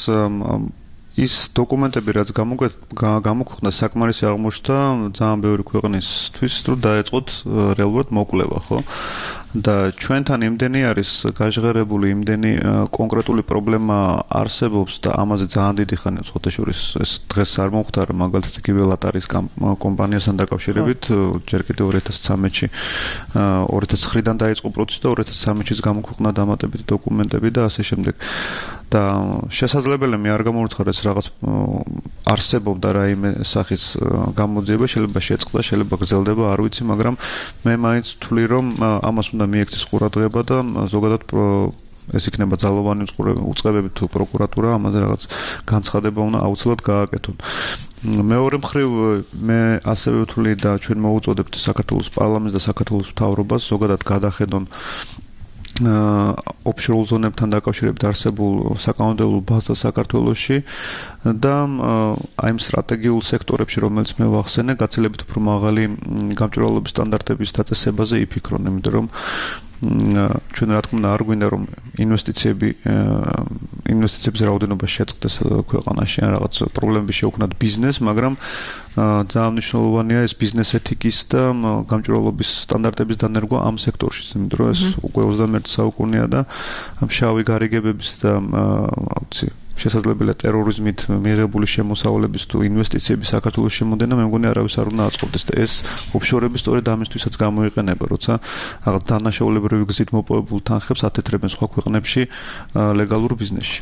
ის დოკუმენტები, რაც გამოქვეყნდა, საკმარისი აღმოჩნდა ძალიან ბევრი ქვეყნისთვის, რომ დაეწყოთ რეალურად მოკვლევა, ხო? და ჩვენთან იმდენი არის გაჟღერებული, იმდენი კონკრეტული პრობლემა არსებობს და ამაზე ძალიან დიდი ხანია ხოთეშორის ეს დღეს არ მომხდარა, მაგალითად იგივე ლატარის კომპანიასთან დაკავშირებით, ჯერ კიდევ ორი ათას ცხრამეტში ორი ათას ცხრიდან დაიწყო პროცესი და ორი ათას ცხრამეტში გამოქვეყნდა დამატებითი დოკუმენტები და ასე შემდეგ. და შესაძლებელია მე არ გამოვცხადდეს რაღაც არსებობდა რაიმე სახის გამოძიება, შეიძლება შეწყდა, შეიძლება გრძელდება, არ ვიცი, მაგრამ მე მაინც ვთვლი, რომ ამას უნდა მიექცეს ყურადღება და ზოგადად ეს იქნება ძალოვანი უწყებები თუ პროკურატურა ამაზე რაღაც განცხადება უნდა აუცილებლად გააკეთონ. მეორე მხრივ მე ასევე ვთვლი და ჩვენ მოუწოდებთ საქართველოს პარლამენტს და საქართველოს მთავრობას ზოგადად გადახედონ ოფშორულ ზონებთან დაკავშირებით არსებულ საკანონმდებლო ბაზას საქართველოში და აი იმ სტრატეგიულ სექტორებში, რომელიც მე ვახსენე, გაცილებით უფრო მაღალი გამჭვირვალობის სტანდარტების დაწესებაზე იფიქრონ, იმიტომ რომ ჩვენ რა თქმა უნდა არ გვინდა რომ ინვესტიციები ინვესტიციების რაოდენობა შეწყდეს ქვეყანაში ან რაღაც პრობლემები შეუქმნათ ბიზნესს, მაგრამ ძალიან მნიშვნელოვანია ეს ბიზნეს ეთიკის და გამჭვირვალობის სტანდარტების დანერგვა ამ სექტორში, იმიტომ რომ ეს უკვე ოცდამეერთე საუკუნეა და ამ შავი გარიგებების და აუცი შესაძლებელია ტერორიზმით მიღებული შემოსავლების თუ ინვესტიციების საქართველოს შემოდენა, მე მგონი არავის არ უნდა აწყობდეს და ეს ოფშორები სწორედ ამისთვისაც გამოიყენება, როცა რაღაც დანაშაულებრივი გზით მოპოვებულ თანხებს ათეთრებენ სხვა ქვეყნებში ლეგალურ ბიზნესში.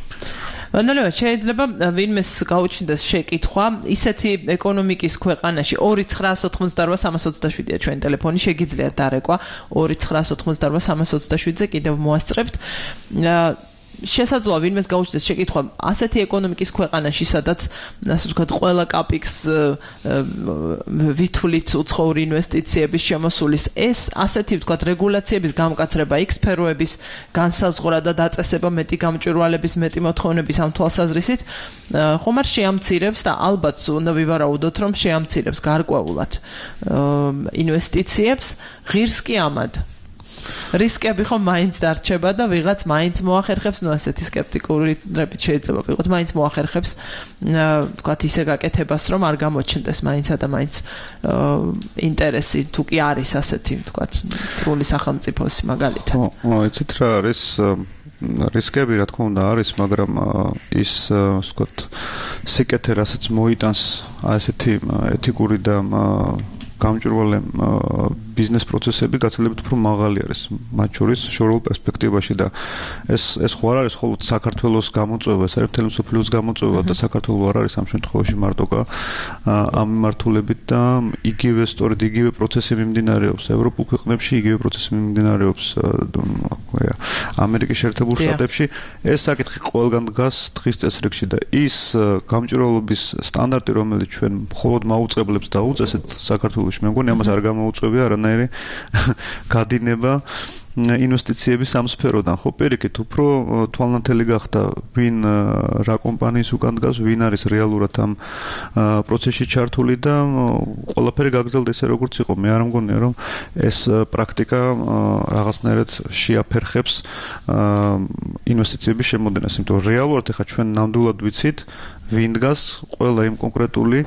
ბატონო, შეიძლება ვინმეს გაუჩნდეს შეკითხვა, ისეთი ეკონომიკის ქვეყანაში ორი ცხრაას ოთხმოცდარვა სამას ოცდაშვიდია ჩვენი ტელეფონი, შეგიძლიათ დარეკვა ორი ცხრაას ოთხმოცდარვა სამას ოცდაშვიდზე კიდევ მოასწრებთ. შესაძლოა ვინმეს გაუჩნდეს შეკითხვა ასეთი ეკონომიკის ქვეყანაში, სადაც ასე ვთქვათ, ყველა კაპიქს ვითვლით უცხოური ინვესტიციების შემოსulis ეს ასეთი ვთქვათ რეგულაციების გამკაცრება, იქ სფეროების განსაზღვრა და დაწესება მეტი გამჭვირვალების, მეტი მოთხოვნების ამ თვალსაზრისით ხომ არ შეამცირებს და ალბათ უნდა ვივარაუდოთ, რომ შეამცირებს გარკვეულად ინვესტიციებს, ღირს კი ამად. რისკები ხომ მაინც დარჩება და ვიღაც მაინც მოახერხებს, ნუ ასეთი სკეპტიკურებით შეიძლება ვიყოთ, მაინც მოახერხებს თქვათ ისე გაკეთებას, რომ არ გამოჩნდეს მაინცა და მაინც ინტერესი თუ კი არის ასეთი თქვათ მტრული სახელმწიფოს მაგალითად. ხო, იცით რა არის რისკები რა თქმა უნდა არის, მაგრამ ის ვთქვათ სიკეთე რასაც მოიტანს ასეთი ეთიკური და გამჭვირვალე ბიზნეს პროცესები გაცილებით უფრო მაღალი არის მათ შორის შორეულ პერსპექტივაში და ეს ეს ხო არ არის მხოლოდ საქართველოს გამოწვევა, ეს არის მთელი მსოფლიოს გამოწვევა და საქართველოს არ არის ამ შემთხვევაში მარტო ამ მიმართულებით და იგივე სწორედ იგივე პროცესი მიმდინარეობს ევროპულ ქვეყნებში, იგივე პროცესი მიმდინარეობს ამერიკის შეერთებულ შტატებში. ეს საკითხი ყველგან დგას დღის წესრიგში და ის გამჭვირვალობის სტანდარტი, რომელიც ჩვენ მხოლოდ მაუწყებლებს დაუწესეთ საქართველოში, მე მგონი ამას არ გამოუწვევია არანაირი გადინება ინვესტიციების ამ სფეროდან. ხო, პირიქით, უფრო თვალნათელი გახდა ვინ რა კომპანიის უკან დგას, ვინ არის რეალურად ამ პროცესში ჩართული და ყველაფერი გაგრძელდა ესე როგორც იყო. მე არ მგონია რომ ეს პრაქტიკა რაღაცნაირად შეაფერხებს ინვესტიციების შემოდენას, იმიტომ რომ რეალურად ეხლა ჩვენ ნამდვილად ვიცით ვინ დგას ყველა იმ კონკრეტული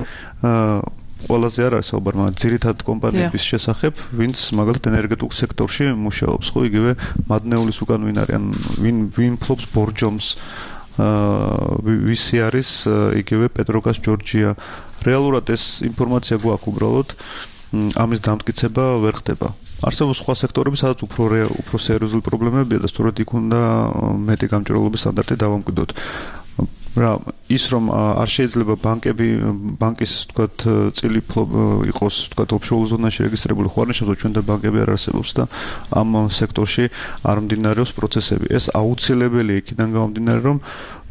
ყველაზე არ არის საუბარი, მაგრამ ძირითად კომპანიების შესახებ, ვინც მაგალითად ენერგეტიკულ სექტორში მუშაობს, ხო, იგივე მადნეულის უკან ვინ არის, ან ვინ ვინ ფლობს ბორჯომს, ვისი არის იგივე პეტროგას ჯორჯია. რეალურად ეს ინფორმაცია გვაქვს უბრალოდ, ამის დამტკიცება ვერ ხდება. არსებობს სხვა სექტორები, სადაც უფრო უფრო სერიოზული პრობლემებია და სწორედ იქ უნდა მეტი გამჭვირვალობის სტანდარტი დავამკვიდროთ. რა ის რომ არ შეიძლება ბანკები ბანკის თქვათ წილი იყოს თქვათ ოფშორ ზონაში რეგისტრირებული ხო არ ნიშნავს ჩვენ და ბანკები არ არსებობს და ამ სექტორში არ მიმდინარეობს პროცესები. ეს აუცილებელია იქიდან გამომდინარე რომ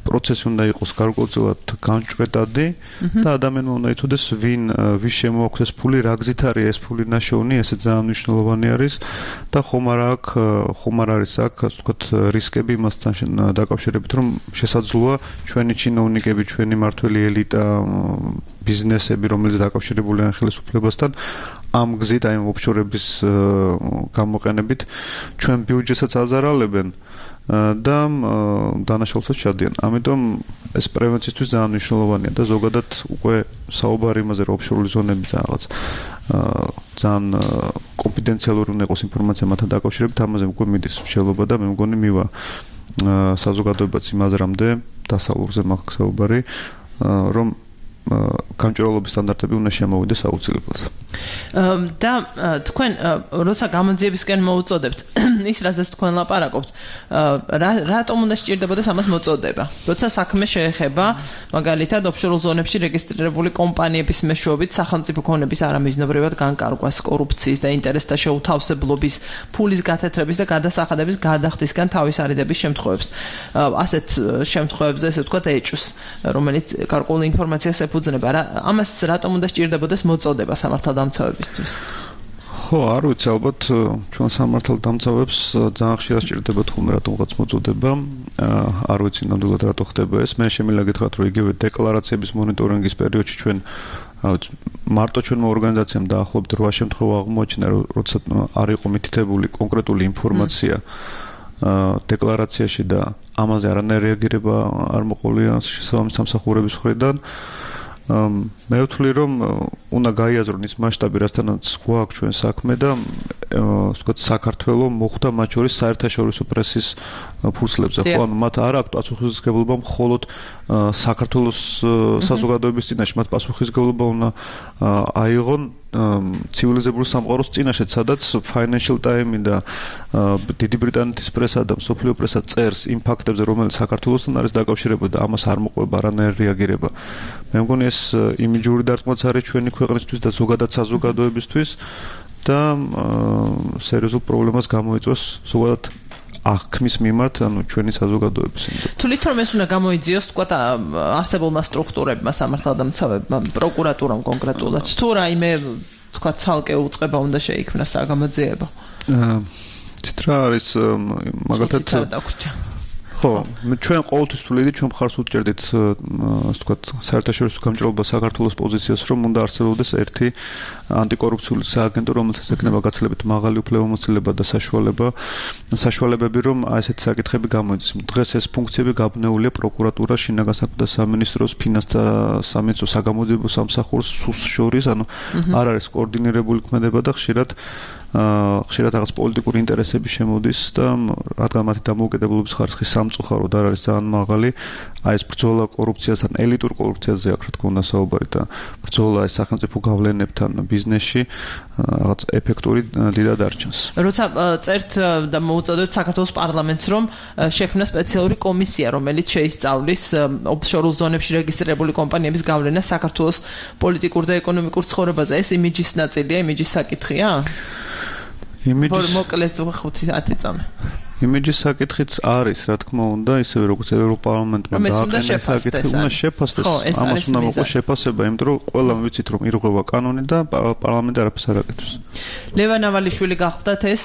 პროცესი უნდა იყოს გარკვეულწილად განჭვრეტადი და ადამიანმა უნდა იცოდეს ვინ ვის შემოაქვს ეს ფული, რა გზით არის ეს ფული ნაშოვნი, ესე ძალიან მნიშვნელოვანი არის და ხომ არ აქვს ხომ არ არის აქ ასე ვთქვათ რისკები იმასთან დაკავშირებით რომ შესაძლოა ჩვენი ჩინოვნიკები, ჩვენი მართველი ელიტა, ბიზნესები, რომელიც დაკავშირებულია ხელისუფლებასთან ამ გზით აი ოფშორების გამოყენებით ჩვენ ბიუჯეტსაც აზარალებენ და დანაშაულსაც ჩადიან. ამიტომ ეს პრევენციისთვის ძალიან მნიშვნელოვანია და ზოგადად უკვე საუბარი იმაზე რომ ოფშორული ზონები რაღაც ძალიან კონფიდენციალური უნდა იყოს ინფორმაცია მათთან დაკავშირებით, ამაზე უკვე მიდის მსჯელობა და მე მგონი მივა საზოგადოებაც იმაზრამდე დასავლურზე მაქვს საუბარი რომ გამჭვირვალობის სტანდარტები უნდა შემოვიდეს აუცილებლად. და თქვენ როცა გამოძიებისკენ მოუწოდებთ ის რაზეც თქვენ ლაპარაკობთ, რატომ უნდა სჭირდებოდეს ამას მოწოდება? როცა საქმე შეეხება მაგალითად ოფშორულ ზონებში რეგისტრირებული კომპანიების მეშვეობით სახელმწიფო ქონების არამიზნობრივად განკარგვას, კორუფციის და ინტერესთა შეუთავსებლობის, ფულის გათეთრების და გადასახადების გადახდისგან თავის არიდების შემთხვევებს. ასეთ შემთხვევებზე ესე ვთქვათ ეჭვს, რომელიც გარკვეული ინფორმაციას ეფუძნება. ამას რატომ უნდა სჭირდებოდეს მოწოდება სამართალდამცავებისთვის? ხო, არ ვიცი, ალბათ ჩვენ სამართალდამცავებს ძალიან ხშირად სჭირდებათ ხოლმე რატომღაც მოწოდება. არ ვიცი ნამდვილად რატო ხდება ეს. მე შემიძლია გითხრათ, რომ იგივე დეკლარაციების მონიტორინგის პერიოდში ჩვენ რა ვიცი, მარტო ჩვენმა ორგანიზაციამ დაახლოებით რვა შემთხვევა აღმოაჩინა, როცა არ იყო მითითებული კონკრეტული ინფორმაცია დეკლარაციაში და ამაზე არანაირი რეაგირება არ მოყოლია შესაბამის სამსახურების მხრიდან. მე ვთვლი რომ უნდა გაიაზრონ ის მასშტაბი, რასთანაც გვაქვს ჩვენ საქმე და ვთქვათ საქართველოს მოხვდა მათ შორის საერთაშორისო პრესის ფურცლებზე. ხო, ანუ მათ არ აქვთ პასუხისმგებლობა მხოლოდ საქართველოს საზოგადოების წინაშე, მათ პასუხისმგებლობა უნდა აიღონ ცივილიზებული სამყაროს წინაშეც, სადაც Financial Times და დიდი ბრიტანეთის პრესა და მსოფლიო პრესა წერს იმ ფაქტებზე, რომელიც საქართველოსთან არის დაკავშირებული და ამას არ მოყვება არანაირი რეაგირება. მე მგონი ეს იმიჯური დარტყმაც არის ჩვენი ქვეყნისთვის და ზოგადად საზოგადოებისთვის და სერიოზულ პრობლემას გამოიწვევს ზოგადად აღქმის მიმართ, ანუ ჩვენი საზოგადოების. თვლით რომ ეს უნდა გამოიძიოს თქვათ არსებულმა სტრუქტურებმა, სამართალდამცავებმა, პროკურატურამ კონკრეტულად, თუ რაიმე თქვათ ცალკე უწყება უნდა შეიქმნას საგამოძიებო. ცით რა არის მაგალითად ხო, ჩვენ ყოველთვის თვლით, ჩვენ მხარს უჭერდით, ასე ვთქვათ, საერთაშორისო გამჭირვალობა საქართველოს პოზიციას, რომ უნდა არსებობდეს ერთი ანტიკორუფციული სააგენტო, რომელსაც ექნება გაცილებით მაღალი უფლებამოსილება და საშუალება, საშუალებები, რომ აი ესეთი საკითხები გამოიძიოს. დღეს ეს ფუნქციები გაბნეულია პროკურატურას, შინაგან საქმეთა სამინისტროს, ფინანსთა სამინისტროს, საგამოძიებო სამსახურს სუს შორის, ანუ არ არის კოორდინირებული ქმედება და ხშირად ხშირად რაღაც პოლიტიკური ინტერესები შემოდის და რადგან მათი დამოუკიდებლობის ხარისხი სამწუხაროდ არ არის ძალიან მაღალი, აი ეს ბრძოლა კორუფციასთან, ელიტურ კორუფციაზე აქ რა თქმა უნდა საუბარი და ბრძოლა ეს სახელმწიფო გავლენებთან ბიზნესში რაღაც ეფექტური დიდად არჩენს. როცა წერთ და მოუწოდოთ საქართველოს პარლამენტს, რომ შექმნა სპეციალური კომისია, რომელიც შეისწავლის ოფშორულ ზონებში რეგისტრირებული კომპანიების გავლენას საქართველოს პოლიტიკურ და ეკონომიკურ ცხოვრებაზე, ეს იმიჯის ნაწილია, იმიჯის საკითხია? იმიჯის მოკლედ ხუთი ათი წამი. იმიჯის საკითხიც არის, რა თქმა უნდა, ისევე როგორც ევროპარლამენტმა დააყენა საკითხი, უნდა შეფასდეს. ამას უნდა მოყოს შეფასება, იმიტომ რომ ყველამ ვიცით, რომ ირღვევა კანონი და პარლამენტი არაფერს არ აკეთებს. ლევან ავალიშვილი გახლდათ ეს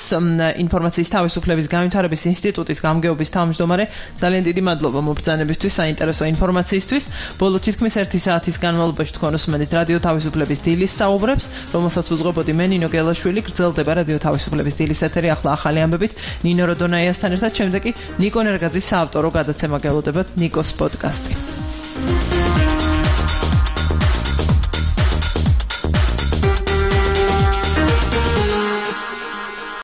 ინფორმაციის თავისუფლების განვითარების ინსტიტუტის გამგეობის თავმჯდომარე. ძალიან დიდი მადლობა მობრძანებისთვის, საინტერესო ინფორმაციისთვის. ბოლო თითქმის ერთი საათის განმავლობაში თქვენ უსმენთ რადიო თავისუფლების დილის საუბრებს, რომელსაც უძღვებოდი მე ნინო გელაშვილი. გრძელდება რადიო თავისუფლების დილის ეთერი, ახლა ახალი ამბებით ნინო როდონაიასთან ერთად, შემდეგ კი ნიკო ნერგაძის საავტორო გადაცემა გელოდებათ ნიკოს პოდკასტი.